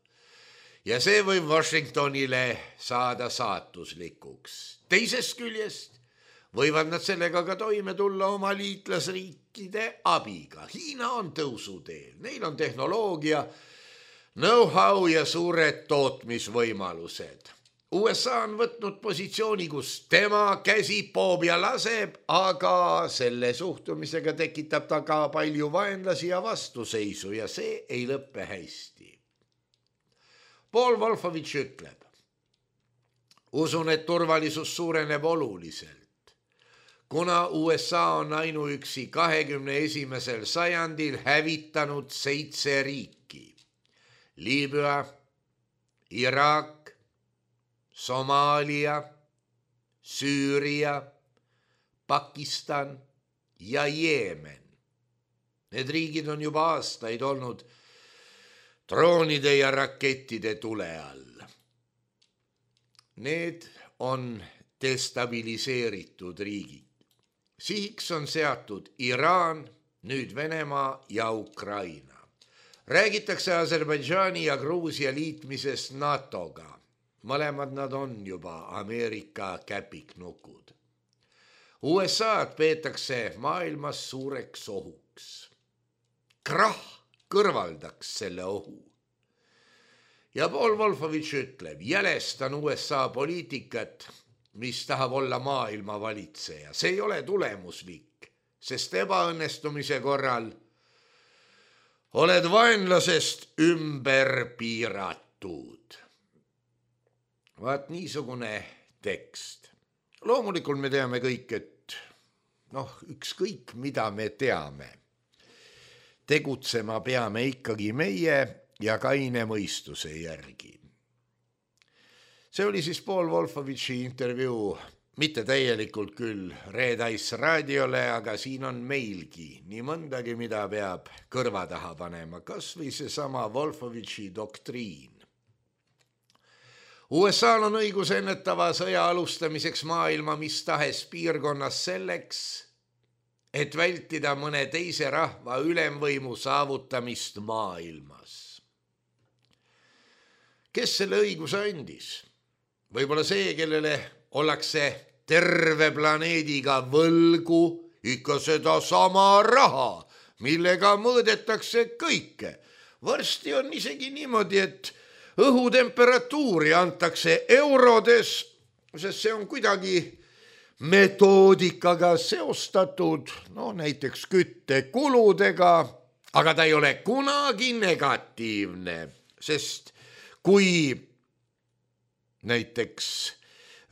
ja see võib Washingtonile saada saatuslikuks. Teisest küljest võivad nad sellega ka toime tulla oma liitlasriikide abiga. Hiina on tõusuteel, neil on tehnoloogia, know-how ja suured tootmisvõimalused. USA on võtnud positsiooni, kus tema käsi poob ja laseb, aga selle suhtumisega tekitab ta ka palju vaenlasi ja vastuseisu ja see ei lõppe hästi. Paul Wolfowitš ütleb, usun, et turvalisus suureneb oluliselt, kuna USA on ainuüksi 21. sajandil hävitanud 7 riiki. Liibüa, Iraak, Somaalia, Süüria, Pakistan ja Jeemen. Need riigid on juba aastaid olnud droonide ja rakettide tule all. Need on destabiliseeritud riigid. Sihiks on seatud Iraan, nüüd Venemaa ja Ukraina. Räägitakse Aserbaidžaani ja Gruusia liitmisest NATOga. Mõlemad nad on juba Ameerika käpiknukud. USA-d peetakse maailmas suureks ohuks. Krahh kõrvaldaks selle ohu. Ja Paul Wolfowitš ütleb, jälestan USA poliitikat, mis tahab olla maailma valitseja. See ei ole tulemuslik, sest ebaõnnestumise korral oled vaenlasest ümber piiratud. Vaat niisugune tekst. Loomulikult me teame kõik, et ükskõik mida me teame. Tegutsema peame ikkagi meie ja kaine mõistuse järgi. See oli siis Paul Wolfowitši intervjuu, mitte täielikult küll Red-Ice raadiole, aga siin on meilgi nii mõndagi, mida peab kõrva taha panema, kas või seesama Wolfowitši doktriin. USA-l on õigus ennetava sõja alustamiseks maailma mis tahes piirkonnas selleks, et vältida mõne teise rahva ülemvõimu saavutamist maailmas. Kes selle õiguse andis? Võib-olla see, kellele ollakse terve planeediga võlgu ikka seda sama raha, millega mõõdetakse kõike. Varsti on isegi niimoodi, et õhutemperatuuri antakse eurodes, sest see on kuidagi metoodikaga seostatud, näiteks küttekuludega, aga ta ei ole kunagi negatiivne, sest kui näiteks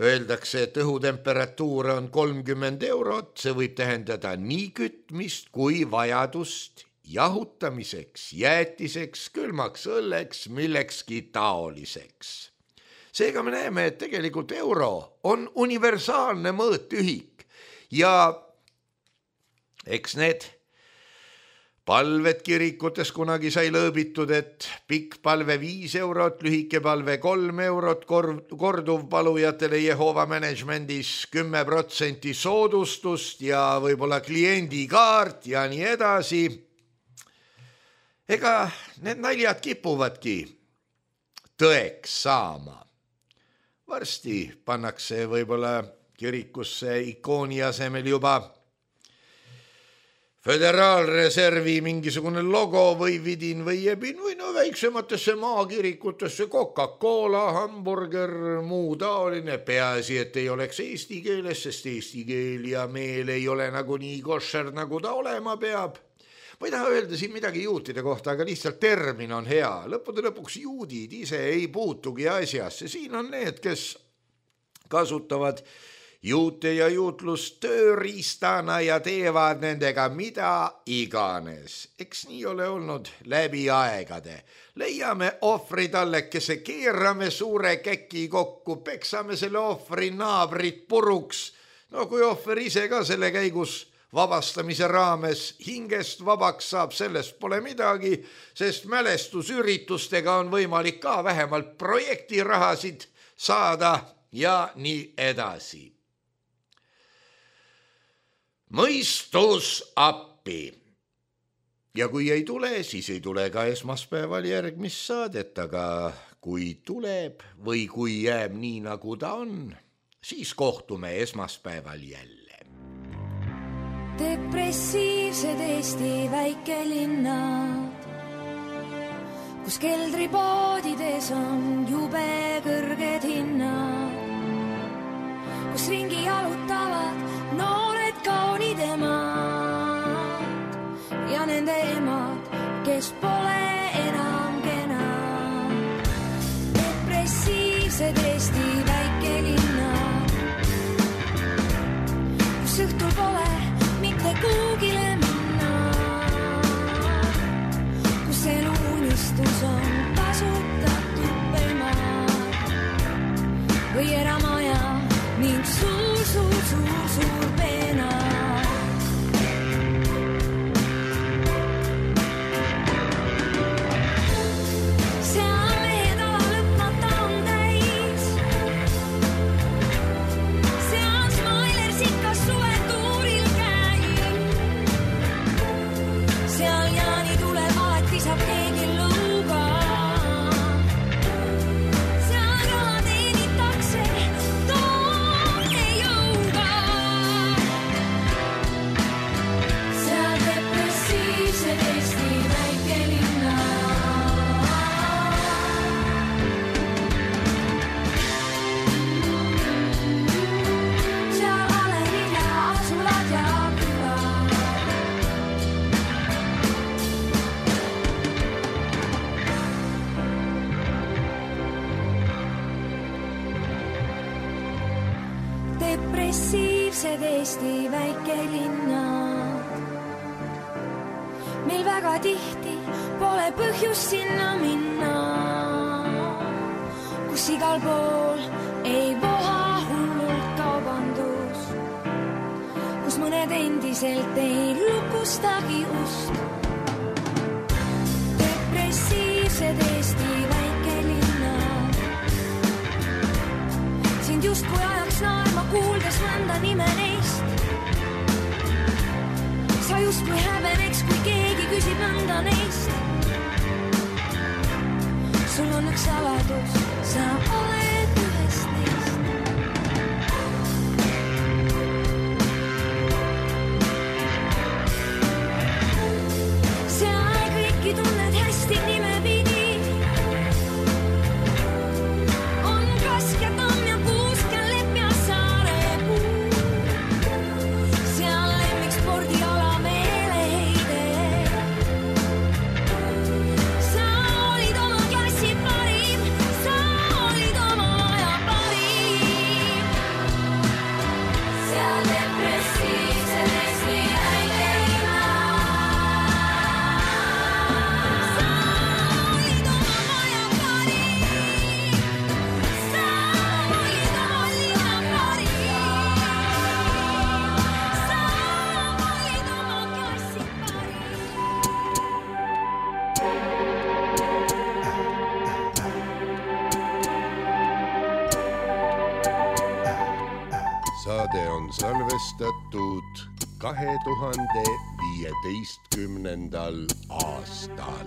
öeldakse, et õhutemperatuur on 30 eurot, see võib tähendada nii kütmist kui vajadust jahutamiseks, jäätiseks, külmaks õlleks, millekski taoliseks. Seega me näeme, et tegelikult euro on universaalne mõõtühik ja eks need palved kirikutes kunagi sai lõõbitud, et pikk palve 5 eurot, lühike palve 3 eurot, korduvpalujatele Jehova managementis 10% soodustust ja võib-olla kliendikaart ja nii edasi. Ega need naljad kipuvadki tõeks saama. Varsti pannakse võib-olla kirikusse ikooni asemel juba Föderaalreservi mingisugune logo või vidin või jebin või no väiksematesse maakirikutesse Coca-Cola, hamburger, muu taoline, peaasi, et ei oleks eesti keeles, sest eesti keel ja meel ei ole nagunii koššer, nagu ta olema peab. Ma ei taha öelda siin midagi juutide kohta, aga lihtsalt termin on hea. Lõppude lõpuks juudid ise ei puutugi asjasse. Siin on need, kes kasutavad juute ja juutlust tööriistana ja teevad nendega mida iganes. Eks nii ole olnud läbi aegade. Leiame ohvri tallekese, keerame suure käki kokku, peksame selle ohvri naabrit puruks. No kui ohver ise ka selle käigus vabastamise raames hingest vabaks saab, sellest pole midagi, sest mälestusüritustega on võimalik ka vähemalt projektirahasid saada ja nii edasi. Mõistus appi. Ja kui ei tule, siis ei tule ka esmaspäeval järgmist saadet, aga kui tuleb või kui jääb nii, nagu ta on, siis kohtume esmaspäeval jälle. Depressiivsed Eesti väikelinnad, kus keldripoodides on jube kõrged hinnad, kus ringi jalutavad noored kaunid emad ja nende emad, kes pole enam kenad. Depressiivsed Eesti väikelinnad, kus õhtul pole mitte kuugile minna, kus elu unistus on kasutatud pelmad või eramaja ning suur peena. Seal mehed ala lõpmata on täis, seal Smailers ikka suvetuuril käib, seal Jaani tuleb alati saab keegi lõuga, seal raha teenitakse depressiivsed Eesti väikelinnad. Meil väga tihti pole põhjust sinna minna, kus igal pool ei voha hullult kaubandus, kus mõned endiselt ei lukustagi ust. Depressiivsed Eesti väikelinnad, sind justkui ajaks naerma kuuldes mõnda nime neist. Sa justkui häbeneks, kui keegi küsib mõnda neist. Sul on üks saladus, sa oled ühest neist. Seal kõiki tunned hästi nime pidi. On Kask ja Tamm ja Kuusk ja Lepp ja Saarepuu. Seal lemmik spordiala meeleheide. Sa olid oma klassi parim, sa olid oma aja parim. Seal depressiivsed Eesti väikelinnad. Sa olid oma aja parim, sa olid oma linna parim, sa olid oma klassi parim. Saade on salvestatud 2015. aastal.